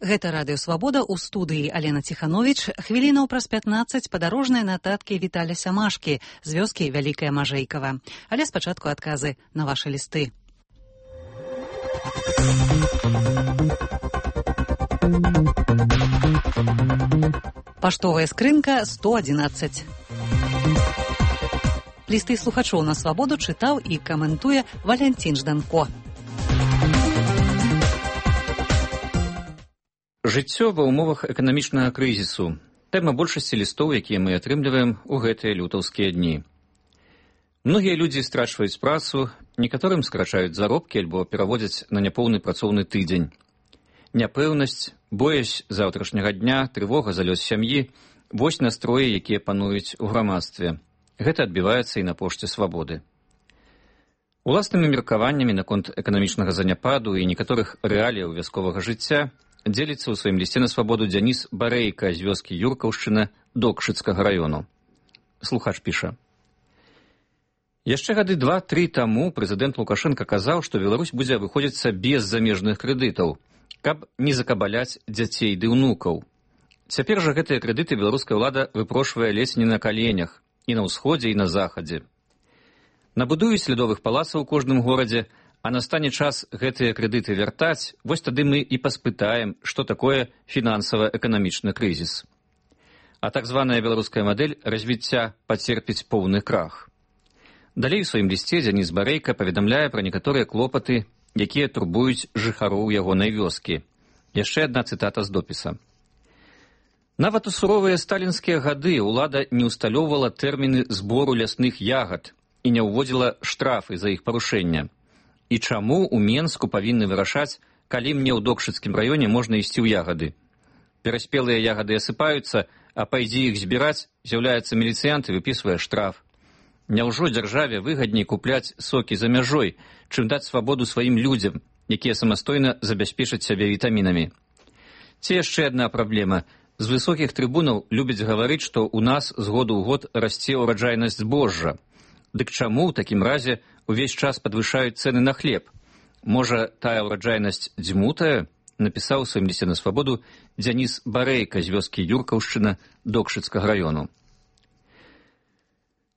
Гэта радыё Свабода, у студыі Алена Ціхановіч. Хвілінаў праз пятнаццаць падарожныя нататкі Віталя Сямашкі з вёскі Вялікая Мажэйкава. Але спачатку адказы на вашы лісты. Паштовая скрынка сто адзінаццаць. Лісты слухачоў на Свабоду чытаў і каментуе Валянцін Жданко. Жыццё ва ўмовах эканамічнага крызісу. Тэма большасці лістоў, якія мы атрымліваем у гэтыя лютаўскія дні. Многія людзі страчваюць працу, некаторым скрачаюць заробкі альбо пераводзяць на няпоўны працоўны тыдзень. Няпэўнасць, боязь заўтрашняга дня, трывога за лёс сям'і – вось настроі, якія пануюць у грамадстве. Гэта адбіваецца і на пошце Свабоды. Уласнымі меркаваннямі наконт эканамічнага заняпаду і некаторых рэаліяў вясковага жыцця дзеліцца ў сваім лісце на свабоду Дзяніс Барэйка з вёскі Юркаўшчына Докшыцкага раёну. Слухач піша. Яшчэ гады два-тры таму прэзідэнт Лукашенка казаў, што Беларусь будзе выходзіцца без замежных крэдытаў, каб не закабаляць дзяцей ды ўнукаў. Цяпер жа гэтыя крэдыты беларуская ўлада выпрошвае ледзь не на каленях, і на ўсходзе, і на захадзе. Набудуюць лядовых палацаў у кожным горадзе, а настане час гэтыя крэдыты вяртаць, вось тады мы і паспытаем, што такое фінансава-эканамічны крызіс. А так званая беларуская мадэль развіцця пацерпіць поўны крах. Далей у сваім лісце Дзяніс Барэйка паведамляе пра некаторыя клопаты, якія турбуюць жыхароў ягонай вёскі. Яшчэ адна цытата з допіса. Нават у суровыя сталінскія гады ўлада не ўсталёўвала тэрміны збору лясных ягад і не ўводзіла штрафы за іх парушэння. І чаму ў Менску павінны вырашаць, калі мне ў Докшыцкім раёне можна ісці ў ягады? Пераспелыя ягады асыпаюцца, а пайдзі іх збіраць, з'яўляецца міліцыянт і выпісвае штраф. Няўжо дзяржаве выгадней купляць сокі за мяжой, чым даць свабоду сваім людзям, якія самастойна забяспечаць сябе вітамінамі? Ці яшчэ адна праблема. З высокіх трыбунаў любяць гаварыць, што ў нас з году ў год расце ўраджайнасць збожжа. Дык чаму ў такім разе увесь час падвышаюць цэны на хлеб? Можа, тая ўраджайнасць дзьмутая? Напісаў у сваім лісце на свабоду Дзяніс Барэйка з вёскі Юркаўшчына Докшыцкага раёну.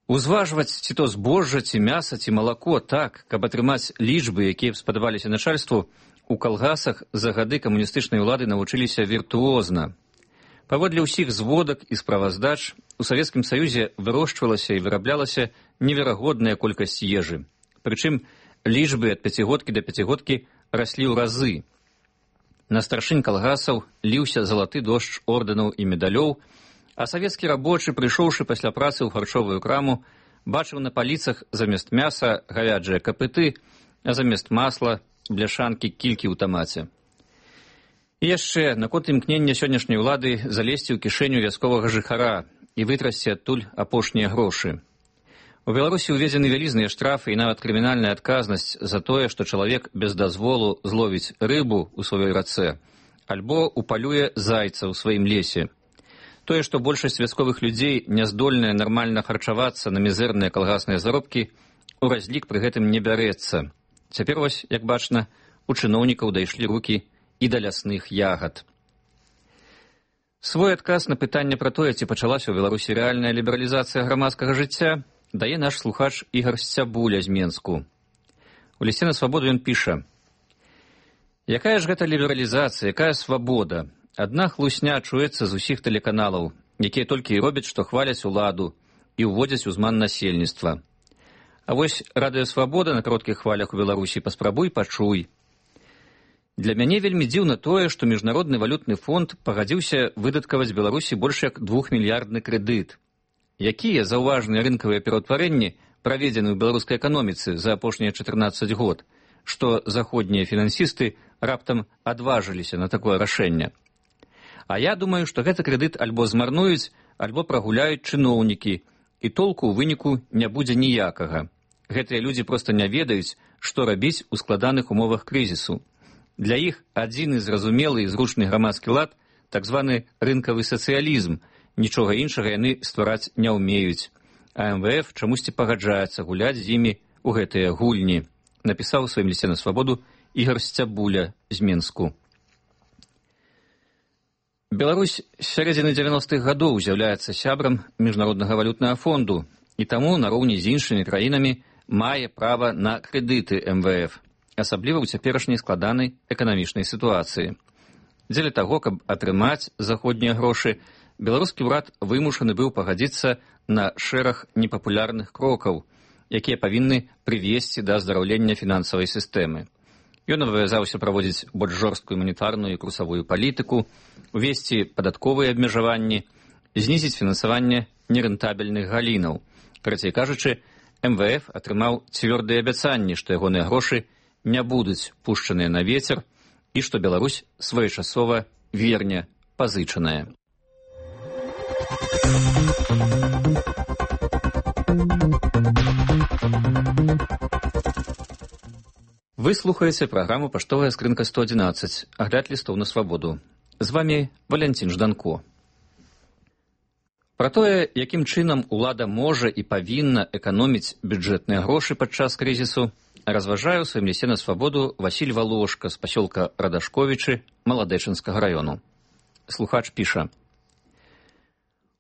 Узважваць ці то збожжа, ці мяса, ці малако так, каб атрымаць лічбы, якія б спадабаліся начальству, у калгасах за гады камуністычнай улады навучыліся віртуозна. Паводле ўсіх зводак і справаздач, у Савецкім Саюзе вырошчвалася і выраблялася неверагодная колькасць ежы. Прычым лічбы ад пяцігодкі да пяцігодкі раслі ў разы. На старшынь калгасаў ліўся залаты дождж ордэнаў і медалёў, а савецкі рабочы, прыйшоўшы пасля працы ў харчовую краму, бачыў на паліцах замест мяса гавяджыя капыты, а замест масла бляшанкі кількі ў тамаце. І яшчэ наконт імкнення сённяшняй улады залезці ў кішэню вясковага жыхара і вытрасці адтуль апошнія грошы. У Беларусі ўведзены вялізныя штрафы і нават крымінальная адказнасць за тое, што чалавек без дазволу зловіць рыбу ў сваёй рацэ, альбо упалюе зайца ў сваім лесе. Тое, што большасць вясковых людзей не здольная нармальна харчавацца на мізэрныя калгасныя заробкі, у разлік пры гэтым не бярэцца. Цяпер вось, як бачна, у чыноўнікаў дайшлі рукі і да лясных ягад. Свой адказ на пытанне пра тое, ці пачалася ў Беларусі рэальная лібералізацыя грамадскага жыцця, дае наш слухач Ігар Сцябуля з Менску. У лісце на свабоду ён піша: «Якая ж гэта лібералізацыя, якая свабода? Адна хлусня чуецца з усіх тэлеканалаў, якія толькі і робяць, што хваляць уладу і ўводзяць узман насельніцтва. А вось радыёсвабода на кароткіх хвалях у Беларусі паспрабуй пачуй. Для мяне вельмі дзіўна тое, што Міжнародны валютны фонд пагадзіўся выдаткаваць Беларусі больш як двухмільярдны крэдыт. Якія заўважныя рынкавыя пераўтварэнні праведзены ў беларускай эканоміцы за апошнія чатырнаццаць год, што заходнія фінансісты раптам адважыліся на такое рашэнне? А я думаю, што гэты крэдыт альбо змарнуюць, альбо прагуляюць чыноўнікі, і толку ў выніку не будзе ніякага. Гэтыя людзі проста не ведаюць, што рабіць у складаных умовах крызісу. Для іх адзіны зразумелы і зручны грамадскі лад, так званы рынкавы сацыялізм, нічога іншага яны ствараць не ўмеюць. А эм вэ эф чамусьці пагаджаецца гуляць з імі ў гэтыя гульні, напісаў у сваім лісце на свабоду Ігар Сцябуля з Менску. Беларусь з сярэдзіны дзевяностых гадоў з'яўляецца сябрам Міжнароднага валютнага фонду і таму нароўні з іншымі краінамі мае права на крэдыты эм вэ эф, асабліва ў цяперашняй складанай эканамічнай сітуацыі. Дзеля таго, каб атрымаць заходнія грошы, беларускі ўрад вымушаны быў пагадзіцца на шэраг непапулярных крокаў, якія павінны прывесці да аздараўлення фінансавай сістэмы. Ён абавязаўся праводзіць больш жорсткую манетарную і курсавую палітыку, увесці падатковыя абмежаванні, знізіць фінансаванне нерэнтабельных галінаў. Карацей кажучы, эм вэ эф атрымаў цвёрдыя абяцанні, што ягоныя грошы не будуць пушчаныя на вецер і што Беларусь своечасова верне пазычаная. Вы слухаеце праграму «Паштовая скрынка сто адзінаццаць», агляд лістоў на свабоду. З вамі Валянцін Жданко. Пра тое, якім чынам улада можа і павінна эканоміць бюджэтныя грошы падчас крызісу, разважае ў сваім лісце на свабоду Васіль Валошка з пасёлка Радашковічы Маладэчынскага раёну. Слухач піша: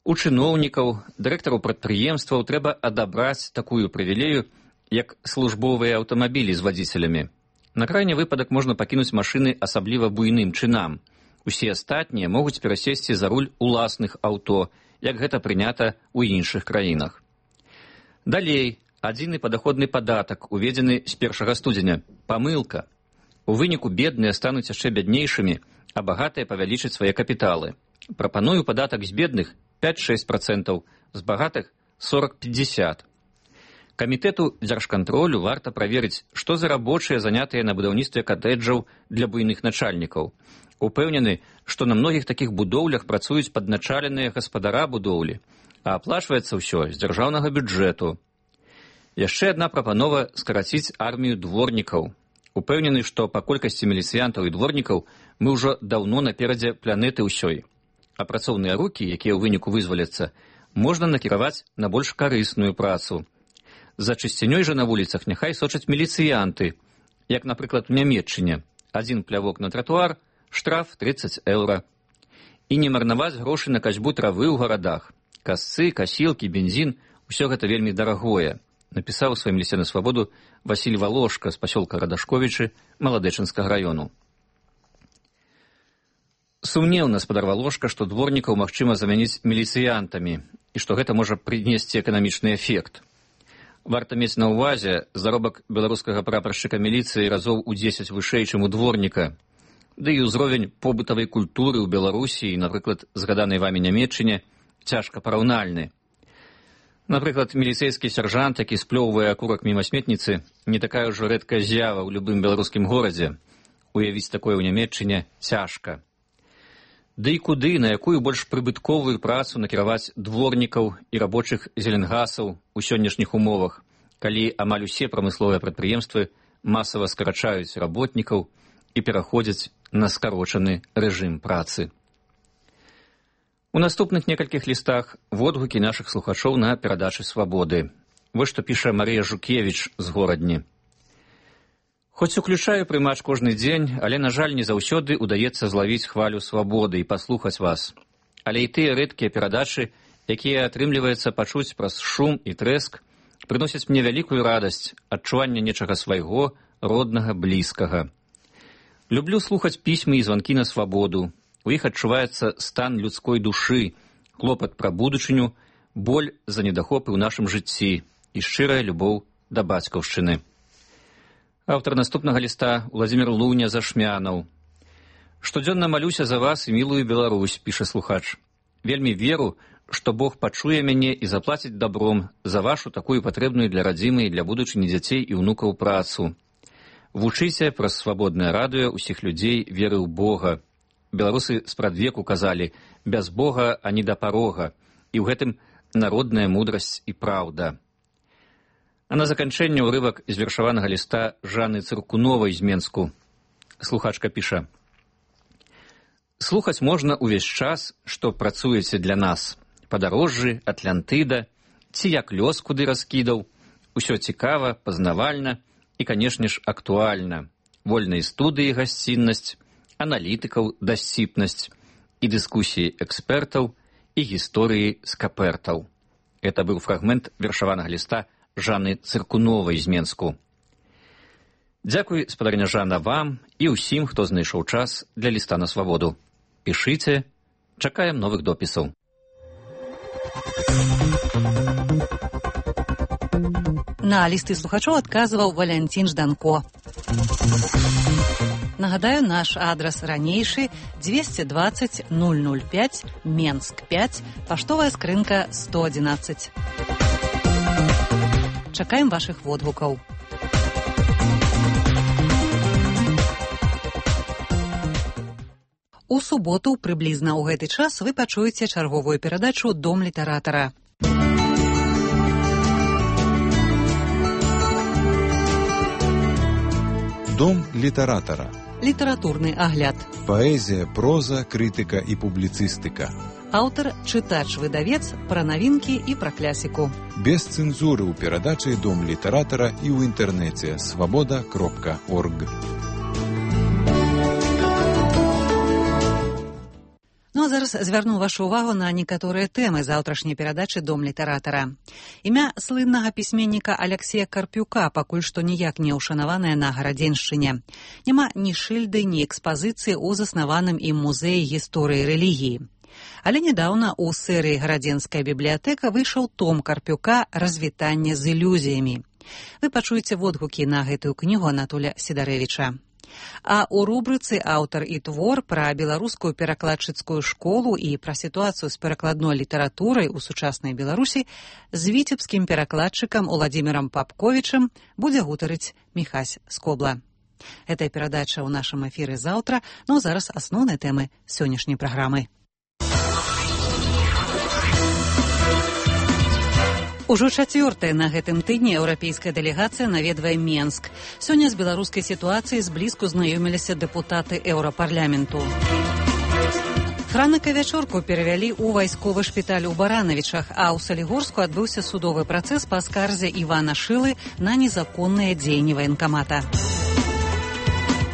у чыноўнікаў, дырэктараў прадпрыемстваў трэба адабраць такую прывілею, як службовыя аўтамабілі з вадзіцелямі. На крайні выпадак можна пакінуць машыны асабліва буйным чынам. Усе астатнія могуць перасесці за руль уласных аўто, як гэта прынята ў іншых краінах. Далей, адзіны падаходны падатак, уведзены з першага студзеня. Памылка. У выніку бедныя стануць яшчэ бяднейшымі, а багатыя павялічаць свае капіталы. Прапаную падатак з бедных пяць-шэсць працэнтаў, з багатых сорок-пятьдесят. Камітэту дзяржкантролю варта праверыць, што за рабочыя занятыя на будаўніцтве катэджаў для буйных начальнікаў. Упэўнены, што на многіх такіх будоўлях працуюць падначаленыя гаспадара будоўлі, а аплачваецца ўсё з дзяржаўнага бюджэту. Яшчэ адна прапанова скараціць армію дворнікаў. Упэўнены, што па колькасці міліцыянтаў і дворнікаў мы ўжо даўно наперадзе планеты ўсёй. А працоўныя рукі, якія ў выніку вызваляцца, можна накіраваць на больш карысную працу. За чысцінёй жа на вуліцах няхай сочаць міліцыянты, як, напрыклад, у Нямецчыне. Адзін плявок на тратуар, штраф тридцать еўра. І не марнаваць грошы на касьбу травы ў гарадах. Касцы, касілкі, бензін – усё гэта вельмі дарагое, напісаў у сваім лісце на свабоду Васіль Валошка з пасёлка Радашковічы Маладэчынскага раёну. Сумнеўна спадар Валошка, што дворнікаў магчыма замяніць міліцыянтамі і што гэта можа прынесці эканамічны эфект. Варта мець на ўвазе, заробак беларускага прапаршчыка міліцыі разоў у дзесяць вышэй, чым у дворніка. Ды і ўзровень побытавай культуры ў Беларусі, напрыклад, згаданай вамі Нямецчыне, цяжка параўнальны. Напрыклад, міліцэйскі сяржант, які сплёўвае акурак міма сметніцы, не такая ўжо рэдкая з'ява ў любым беларускім горадзе. Уявіць такое ў Нямецчыне цяжка. Ды і куды, на якую больш прыбытковую працу накіраваць дворнікаў і рабочых зеленгасаў у сённяшніх умовах, калі амаль усе прамысловыя прадпрыемствы масава скарачаюць работнікаў і пераходзяць на скарочаны рэжым працы. У наступных некалькіх лістах водгукі нашых слухачоў на перадачы свабоды. Вось што піша Марыя Жукевіч з Горадні. Хоць уключаю прымач кожны дзень, але, на жаль, не заўсёды ўдаецца злавіць хвалю свабоды і паслухаць вас. Але і тыя рэдкія перадачы, якія атрымліваецца пачуць праз шум і трэск, прыносяць мне вялікую радасць, адчуванне нечага свайго, роднага, блізкага. Люблю слухаць пісьмы і званкі на свабоду. У іх адчуваецца стан людской душы, клопат пра будучыню, боль за недахопы ў нашым жыцці і шчырая любоў да бацькаўшчыны. Аўтар наступнага ліста Владзімір Луня Зашмянаў. Штодзённа малюся за вас і мілую Беларусь, піша слухач. Вельмі веру, што Бог пачуе мяне і заплаціць дабром за вашу такую патрэбную для радзімы і для будучыні дзяцей і ўнукаў працу. Вучыце праз свабоднае радыё ўсіх людзей веры ў Бога. Беларусы спрадвеку казалі: без Бога ані да парога, і ў гэтым народная мудрасць і праўда. А на заканчэнне ўрывак з вершаванага ліста Жанны Цыркуновай з Менску. Слухачка піша: слухаць можна ўвесь час, што працуеце для нас. Падарожжы, Атлантыда, ці як лёс куды раскідаў. Усё цікава, пазнавальна і, канешне ж, актуальна. Вольныя студыі гасціннасць, аналітыкаў дасціпнасць і дыскусіі экспертаў і гісторыі скапертаў. Это быў фрагмент вершаванага ліста Жанны Цыркуновай з Менску. Дзякуй, спадарня Жанна, вам і ўсім, хто знайшоў час для ліста на свабоду. Пішыце, чакаем новых допісаў. На лісты слухачоў адказваў Валянцін Жданко. Нагадаю, наш адрас ранейшы двести двадцать ноль ноль пять, Менск пять, паштовая скрынка сто адзінаццаць. Чакаем вашых водгукаў. У суботу, прыблізна ў гэты час, вы пачуеце чарговую перадачу «Дом літаратара». Дом літаратара. Літаратурны агляд. Паэзія, проза, крытыка і публіцыстыка. Аўтар, чытач-выдавец, пра навінкі і пра клясіку. Без цэнзуры ў перадачы Дом літаратара і ў інтэрнэце свабода кропка орг. Ну а зараз звярну вашу ўвагу на некаторыя тэмы заўтрашняй перадачы Дом літаратара. Імя слыннага пісьменніка Аляксея Карпюка пакуль што ніяк не ўшанаванае на Гарадзеншчыне. Няма ні шыльды, ні экспазіцыі ў заснаваным ім музеі гісторыі рэлігіі. Але нядаўна ў серыі «Гарадзенская бібліятэка» выйшаў том Карпюка «Развітанне з ілюзіямі». Вы пачуеце водгукі на гэтую кнігу Анатоля Сідарэвіча. А ў рубрыцы «Аўтар і твор» пра беларускую перакладчыцкую школу і пра сітуацыю з перакладной літаратурай у сучаснай Беларусі з віцебскім перакладчыкам Уладзімірам Папковічам будзе гутарыць Міхась Скобла. Гэтая перадача ў нашым эфіры заўтра, ну зараз асноўныя тэмы сённяшняй праграмы. Ужо чацвёртая на гэтым тыдні еўрапейская дэлегацыя наведвае Менск. Сёння з беларускай сітуацыяй зблізку знаёміліся дэпутаты еўрапарламенту. Франака Вячорку перавялі ў вайсковы шпіталь у Баранавічах, а ў Салігорску адбыўся судовы працэс па скарзе Івана Шылы на незаконныя дзеянні ваенкамата.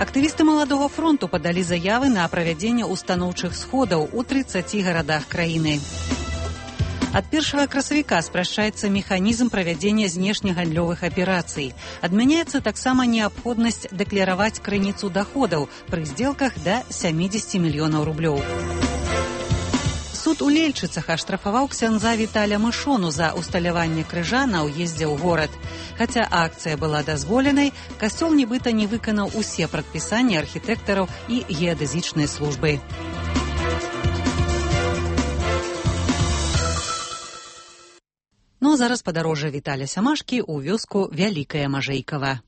Актывісты Маладога фронту падалі заявы на правядзенне устаноўчых сходаў у трыццаці гарадах краіны. Ад першага красавіка спрашчаецца механізм правядзення знешнегандлёвых аперацый. Адмяняецца таксама неабходнасць дэклараваць крыніцу даходаў пры здзелках да сямідзесяці мільёнаў рублёў. Суд у Лельчыцах аштрафаваў ксяндза Віталя Мышону за усталяванне крыжа на ўездзе ў горад. Хаця акцыя была дазволенай, касцёл нібыта не выканаў усе прадпісанні архітэктараў і геадэзічнай службы. Ну а зараз падарожжа Віталя Сямашкі ў вёску Вялікае Мажэйкава.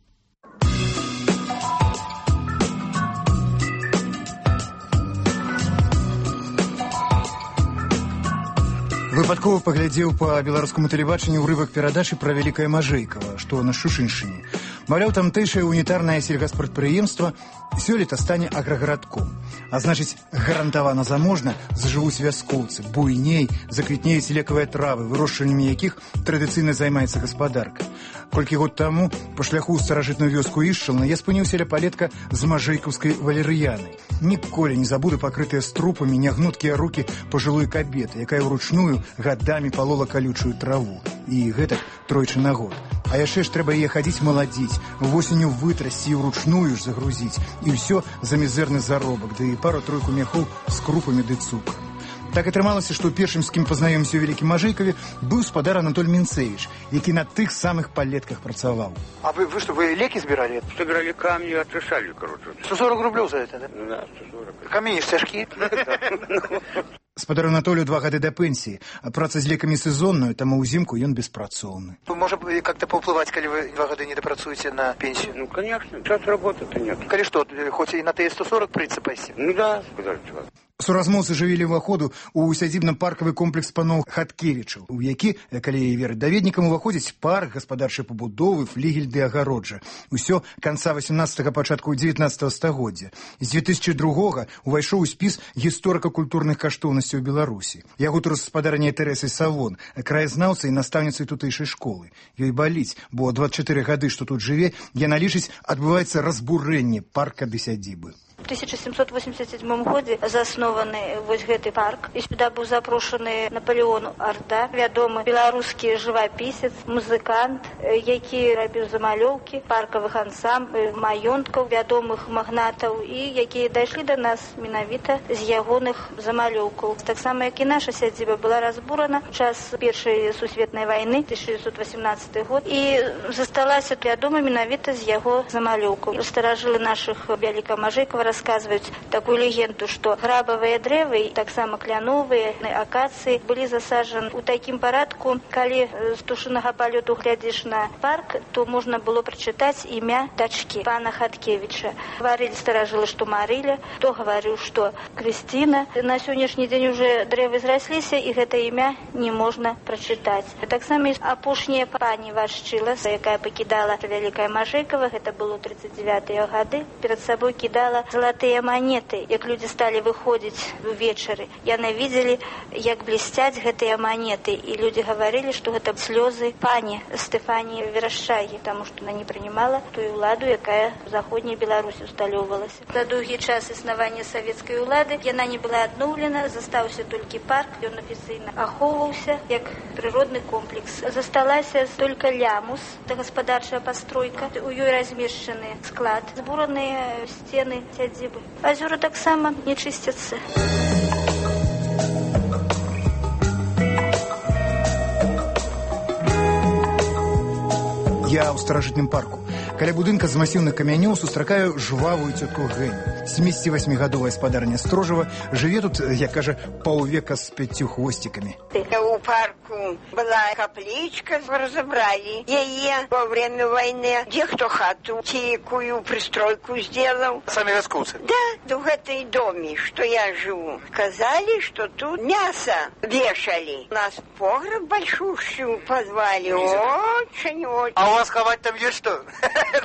Выпадкова паглядзеў па беларускаму тэлебачанню ўрывак перадачы пра Вялікае Мажэйкава, што на Шушыншчыне. Маўляў, тамтэйшае унітарнае сельгаспрадпрыемства сёлета стане аграгарадком. А значыць, гарантавана заможна зажывуць вяскоўцы, буйней заквітнеюць лекавыя травы, вырошчваннямі якіх традыцыйна займаецца гаспадарка. Колькі год таму па шляху ў старажытную вёску Ішчална я спыніўся ля палетка з мажэйкаўскай валерыянай. Ніколі не забуду пакрытыя струпамі нягнуткія рукі пажылой кабеты, якая ўручную гадамі палола калючую траву. І гэтак тройчы на год. А яшчэ ж трэба яе хадзіць маладзіць, восенню вытрасці і ўручную ж загрузіць. І ўсё за мізэрны заробак, ды і пару-тройку мяхоў з крупамі ды цукрам. Так атрымалася, што першым, з кім пазнаёмся ў Вялікім Мажэйкаве, быў спадар Анатоль Мінцевіч, які на тых самых палетках працаваў. А вы, вы что, вы леки сбирали? Собирали камни, отрешали, короче. сто сорок рублей за это, да? Да, сто сорок. Камни цяжкие? Спадару Анатолію два гады да пенсіі, а праца з лекамі сезонную, таму ўзімку ён беспрацоўны. Можа как-то паўплываць, калі вы два гады не дапрацуеце на пенсію? Ну, конечно, час работы-то нет. Калі што, хоць і на Т сто сорок прыйдецца пайсці? Ну да, куда же. Суразмоўцы жывілі ўваходу ў сядзібна-паркавы комплекс паноў Хаткевічаў, у які, калі верыць даведнікам, уваходзіць парк, гаспадарчай пабудовы, флігель ды агароджа. Усё канца васямнаццатага, пачатку дзевятнаццатага стагоддзя. З дзве тысячы другога увайшоў у спіс гісторыка-культурных каштоўнасцяў Беларусі. Я гутару з спадарняй Тэрэсай Савон, краязнаўцай і настаўніцай тутэйшай школы. Ёй баліць, бо дваццаць чатыры гады, што тут жыве, яна лічыць, адбываецца разбурэнне парка ды сядзібы. У тысяча семьсот восемьдесят седьмом году заснованы вось гэты парк. І сюда быў запрошаны Наполеон Арда, вядомы беларускі жывапісец, музыкант, які рабіў замалёўкі паркавых ансамбль, маёнткаў, вядомых магнатаў і якія дайшлі да нас менавіта з ягоных замалёўкаў. Таксама як і наша сядзіба была разбурана ў час першай сусветнай вайны тысяча девятьсот восемнадцатый год і засталася вядома менавіта з яго замалёўкаў. Старажылы нашых Вялікага Мажэйкава рассказывают такую легенду, что грабовые дрэвы, так само кляновые, акации были засажены у таким порядку, коли с тушиного полету глядишь на парк, то можно было прочитать имя дочки пана Хаткевича. Говорили старожилы, что Марыля, кто говорил, что Кристина. На сегодняшний день уже дрэвы зрослись, и это имя не можно прочитать. Так само есть апошняя пани Вашчила, якая покидала Великая Мажейкова, это было тридцать девятые годы, перед собой кидала золотые монеты. Как люди стали выходить вечеры, яны видели, як блестять гэтые монеты, и люди говорили, что это слезы пани Стефании Верашчагі, потому что она не принимала ту уладу, якая в Заходней Беларуси усталёвалась. За долгий час існавання советской улады яна не была адноўлена, застаўся толькі парк, ён афіцыйна ахоўваўся як прыродны комплекс. Засталася только лямус, это гаспадарчая постройка, у ёй размешчаны склад, збураныя сцены сядзібы. Азёры таксама не чысцяцца. Я ў старажытным парку. Каля будынка з масіўных камянёў сустракаю жвавую цётку Гэню. семидесятивосьмигадовая спадарня Строжева жыве тут, як кажа, паўвека з пяццю хвосцікамі. У парку была капличка, разобрали яе во время войны. Где кто хату, тикую, пристройку сделал. Сами вяскоўцы? Да, в этой доме, что я живу. Сказали, что тут мясо вешали. У нас погреб большущий в подвале. Очень-очень. А у вас ховать там есть что?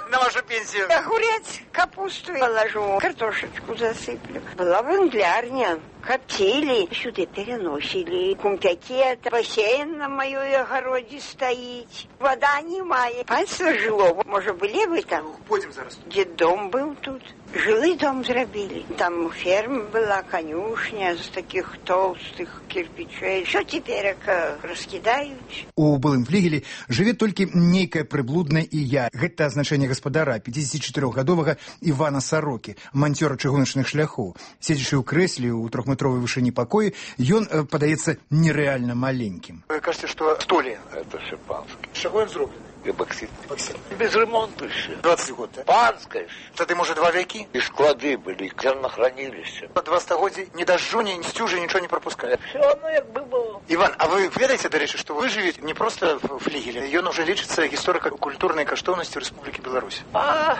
На вашу пенсию? Огурец, капусту положу, картошечку засыплю. Была венглярня. Коптили, сюда переносили. Кумпяки, бассейн на моей огороде стоит. Вода немає. Панство жило. Может, были вы там? Пойдем зараз. Дедом был тут. Жилый дом зробили. Там ферма была, конюшня з таких толстых кирпичей. Что теперь раскидают? У былым флігелі жыве толькі нейкая прыблудная і я. Гэта азначэнне гаспадара пятидесятичатырохгадовага Івана Сарокі, манцёра чыгуначных шляхоў. Седзячы ў крэсле ў трохметровой вышыні пакоі, ён падаецца нерэальна маленькім. Вы кажете, что столи? Это шипанский. З чаго ён зроблены? Эбоксид. Эбоксид. Без ремонта еще. двадцать год, да? Панская. Тады, может, два веки? И склады были, и зернохранилище. По два стагоддзі ни дождю, ни стюжи, ничего не пропускает. Все оно як бы было. Иван, а вы ведаете, до речи, что вы живете не просто в флигеле, ён уже лечится историко-культурной каштовностью Республики Беларусь. А,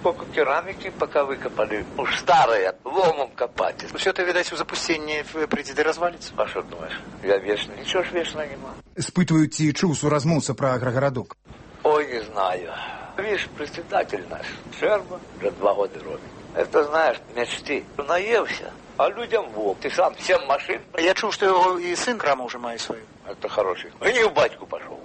пока керамики пока выкопали. Уж старые, ломом копать. Все это, видать, в запустении прийти до развалится. А что думаешь? Я вечно, ничего ж вечно нема. Спытваю, ці чуў суразмоўца пра аграгарадок. Ой, не знаю. Видишь, председатель наш, Шерба, уже два года робит. Это, знаешь, мечты. Наелся, а людям вов. Ты сам всем машин. Я чув, что его и сын краму уже має свою. Это хороший. И не в батьку пошел.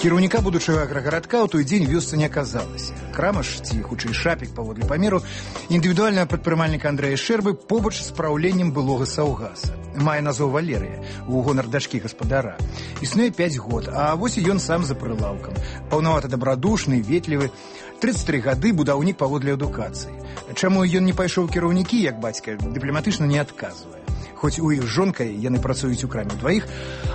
Кіраўніка будучага аграгарадка ў той дзень вёсцы не аказалася. Крама ж, ці хутчэй шапік паводле памеру, індывідуальнага прадпрымальніка Андрэя Шэрбы побач з праўленнем былога саўгаса. Мае назву Валерыя, у гонар дачкі гаспадара. Існуе пяць год, а вось і ён сам за прылаўкам. Паўнавата дабрадушны, ветлівы. тридцать три гады будаўнік паводле адукацыі. Чаму ён не пайшоў кіраўнікі, як бацька, дыпламатычна не адказвае. Хоць у іх з жонкай яны працуюць у краме двоих,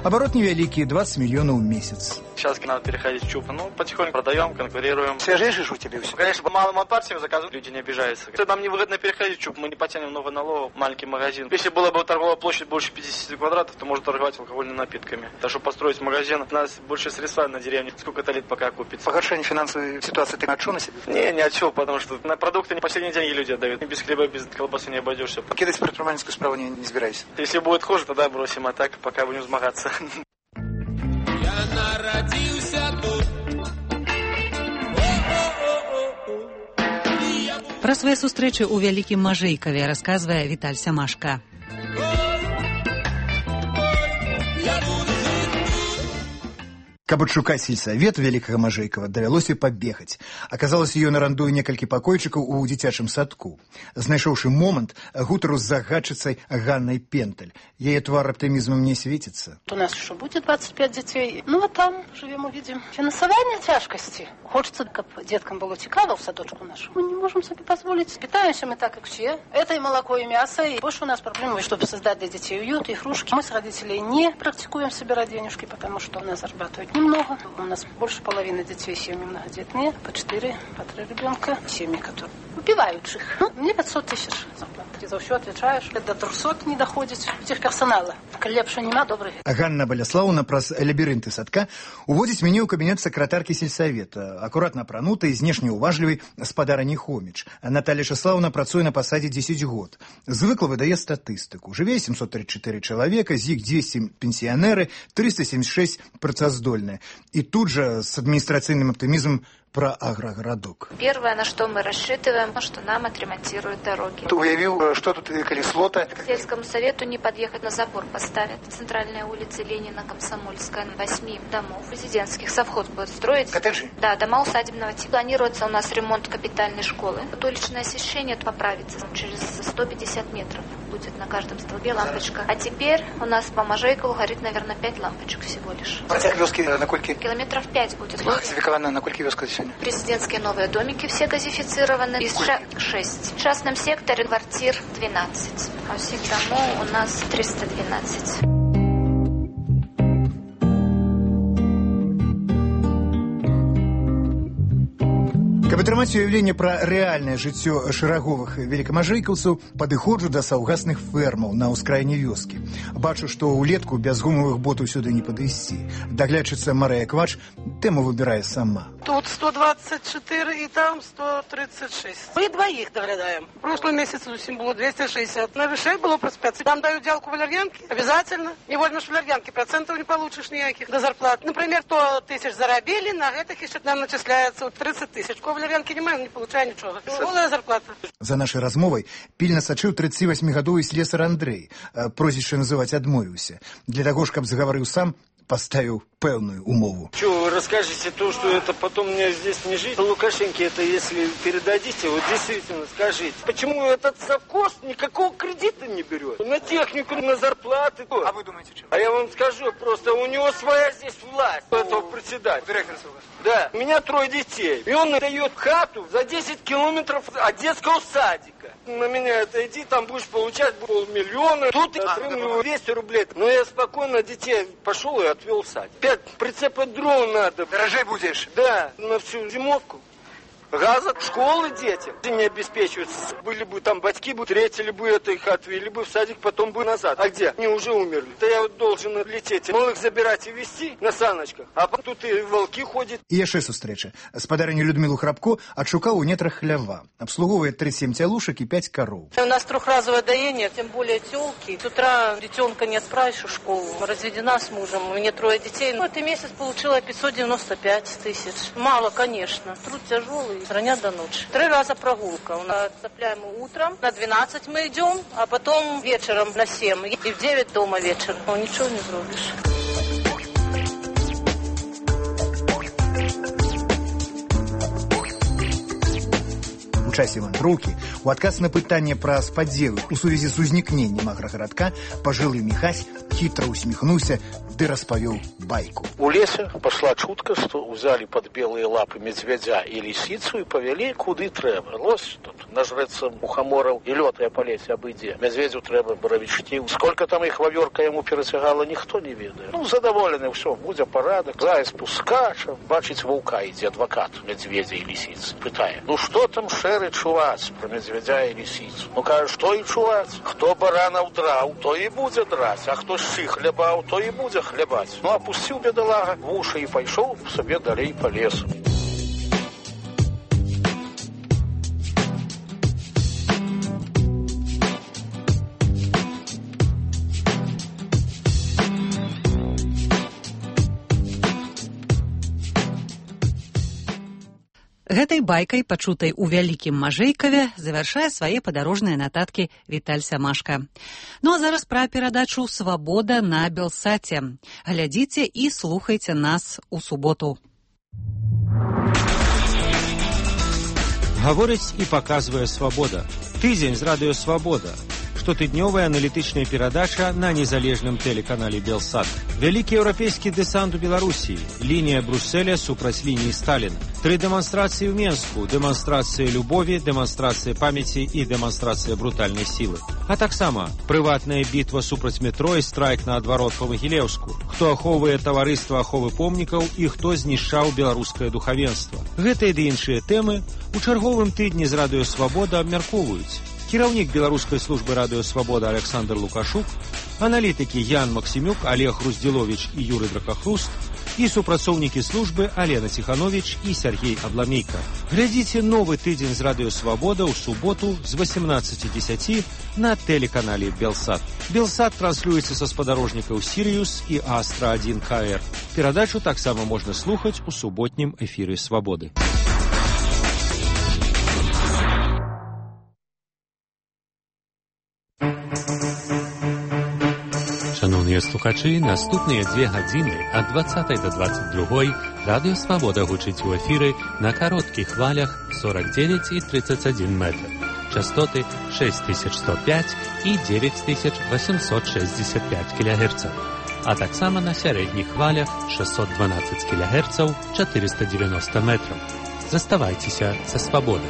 оборот невеликий, двадцать миллионов в месяц. Сейчас надо переходить в ЧУП. Ну, потихоньку продаем, конкурируем. Свежее же у тебя все? Конечно, по малым партиям заказывают, люди не обижаются. Нам невыгодно переходить в ЧУП, мы не потянем много налогов, маленький магазин. Если была бы торговая площадь больше пятидесяти квадратов, то можно торговать алкогольными напитками. Так что построить магазин, у нас больше средства на деревне, сколько-то лет пока купится. Погоршение финансовой ситуации ты отчего на себе? Не, не отчего, потому что на продукты не последние деньги люди отдают. Без хлеба, без колбасы не обойдешься. Кидать предпринимательскую справу не, не собираюсь. Если будет хуже, тогда бросим, а так пока будем змагаться. Я народился тут. Пра свае сустрэчы ў Вялікім Мажэйкаве расказвае Віталь Сямашка. Каб адшукаць сельсавет Вялікага Мажэйкава, давялося пабегаць. Аказалася, ён арандуе некалькі пакойчыкаў у дзіцячым садку. Знайшоўшы момант, гутару з загадчыцай Ганнай Пенталь. Яе твар аптымізмам не светится. У нас еще будет двадцать пять детей. Ну, вот там живем, увидим. Финансование тяжкости. Хочется, как деткам было цікаво в садочку нашу. Мы не можем себе позволить. Питаемся мы так, как все. Это и молоко, и мясо. И больше у нас проблемы, чтобы создать для детей уют, игрушки. Мы с родителей не практикуем собирать денежки, потому что у нас зарабатывать немного. У нас больше половины детей семьи многодетные, по четыре, по три ребенка. Семьи, которые убивающих. Ну, мне пятьсот тысяч зарплаты. Ты за все отвечаешь. До трехсот не доходит техперсонала. Лепше нема, добрый. Ганна Баляслаўна праз лабірынты садка уводзіць мяне ў кабінет сакратаркі сельсавета, акуратна апранутай, знешне уважлівай спадарыні Хоміч. Наталья Часлаўна працуе на пасадзе дзесяць год. Звыкла выдае статыстыку. Жыве семьсот тридцать четыре чалавека, з іх двести пенсіянеры, триста семьдесят шесть працаздольныя. И тут же с административным оптимизмом про агрогородок. Первое, на что мы рассчитываем, что нам отремонтируют дороги. Ты уявил, что тут колесо-то? К сельскому совету не подъехать, на забор поставят. Центральная улица Ленина, Комсомольская, восьми домов резидентских. Совхоз будет строить. Коттеджи? Да, дома усадебного типа. Планируется у нас ремонт капитальной школы. Вот уличное освещение поправится. Через сто пятьдесят метров будет на каждом столбе лампочка. А теперь у нас по Можейкову горит, наверное, пять лампочек всего лишь. Протяг вёски на кольки? Километров пять будет. Газификована на кольки вёска сегодня? Президентские новые домики все газифицированы. Из шесть. В частном секторе квартир двенадцать. А всех домов у нас триста двенадцать. Каб атрымаць уяўленне пра рэальнае жыццё шараговых велікамажэйкаўцаў, падыходжу да саўгасных фермаў на ўскраіне вёскі. Бачу, што ўлетку без гумавых ботаў сюды не падысці. Даглядчыца Марыя Квач тэму выбірае сама. Тут сто двадцать четыре и там сто тридцать шесть. Мы двоих доглядаем. В прошлом месяце усім было двести шестьдесят. На вышей было плюс пять. Там дают делку валерьянки. Обязательно. Не вольно ж валерьянки. Процентов не получишь никаких до зарплат. Например, сто тысяч заробили, на этих еще нам начисляется тридцать тысяч. Валерьянки не маю, не получаю ничего. Голая зарплата. За нашай размовай пільна сачыў тридцативосьмигадовый слесар Андрей. Прозвішча называць адмовіўся. Для таго ж, каб загаварыў сам, поставил пэўную умову. Что, вы расскажете то, что это потом мне здесь не жить? Лукашенко это если передадите, вот действительно скажите. Почему этот совхоз никакого кредита не берет? На технику, на зарплаты. А вы думаете, что? А я вам скажу, просто у него своя здесь власть, у этого председателя. Директор совхоза. Да, у меня трое детей. И он дает хату за десять километров от детского садика. На меня это иди, там будешь получать полмиллиона. Тут я отрымливаю двести рублей. Но я спокойно детей пошел и отвел в садик. Пять прицепа дрон надо. Дорожей будешь? Да, на всю зимовку. Газа, школы дети не обеспечиваются. Были бы там батьки, бы третьили бы это, их отвели бы в садик, потом бы назад. А где? Они уже умерли. Да я вот должен лететь, малых забирать и везти на саночках. А тут и волки ходят. І яшчэ сустрэча. Спадарыню Людмилу Храбко адшукаў у нетрах хлява. Абслуговывае тридцать семь тялушек и пять коров. У нас трехразовое доение, тем более тёлки. С утра детенка не отправишь в школу. Разведена с мужем, у меня трое детей. Ну, этот месяц получила пятьсот девяносто пять тысяч. Мало, конечно. Труд тяжелый. С раня до ночи. Три раза прогулка. У нас отцепляем утром, на двенадцать мы идем, а потом вечером на семь. И в девять дома вечером. Ну, ничего не зробишь. У часе вандроўкі, у адказ на пытанне пра спадзелы у сувязі з узнікненнем аграгарадка, пажылы Міхась хитро усмехнулся, ды распавёў байку. У лесе пошла чутка, что взяли под белые лапы медведя и лисицу и повели куды трэба. Лось тут нажрется мухоморов и лётая по лесе обыдзе. Медведю трэба боровички. Сколько там их вавёрка ему перетягала, никто не ведает. Ну, задоволены, все, будзе порядок. Заяц пускача, бачить ваўка ідзе адвокат медведя и лисицы. Пытае, ну что там шеры чуваць про медведя и лисицу? Ну, кажа, что и чуваць? Кто баранов драў, то и будзе драць, а кто шчы хлебаў, то и будзе хлебаць. Ну, опустил бедолага в уши и пошел себе далей по лесу. Гэтай байкай, пачутай у вялікім Мажэйкаве, завяршае свае падарожныя нататкі Віталь Самашка. Ну а зараз пра перадачу «Свабода» на Белсаце. Глядзіце і слухайце нас у суботу. Гаворыць і паказвае «Свабода». Тыдзень з радыё «Свабода». Штотыднёвая аналітычная перадача на незалежным тэлеканале «Белсат». Вялікі еўрапейскі дэсант у Беларусі, лінія Брусселя супраць лініі Сталіна. Тры дэманстрацыі ў Менску, дэманстрацыя любові, дэманстрацыя памяці і дэманстрацыя брутальнай сілы. А таксама прыватная бітва супраць метро і страйк наадварот па Магілеўску. Хто ахоўвае таварыства аховы помнікаў і хто знішчаў беларускае духавенства. Гэтыя ды іншыя тэмы у чарговым тыдні з Радыё Свабода абмяркоўваюць. Кіраўнік беларускай службы Радыё Свабода Александр Лукашук, аналітыкі Ян Максімюк, Олег Руздзіловіч і Юрый Дракахруст і супрацоўнікі службы Алена Ціхановіч і Сергей Абламейка. Глядзіце новы тыдзень з Радыё Свабода ў суботу з восемнадцати десяти на тэлеканале Белсат. Белсат транслюецца са спадарожнікаў Сіриус і Астра один ка эр. Перадачу таксама можна слухаць у суботнім эфіры Свабоды. Шановныя слухачы, наступныя дзве гадзіны ад двадцатай да дваццаць другой Радыё Свабода гучыць у эфіры на кароткіх хвалях сорок девять и тридцать один метр. Частоты шесть тысяч сто пять и девять тысяч восемьсот шестьдесят пять килогерцаў, а таксама на сярэдніх хвалях шестьсот двенадцать килогерцаў, четыреста девяносто метров. Заставайцеся са Свабодай.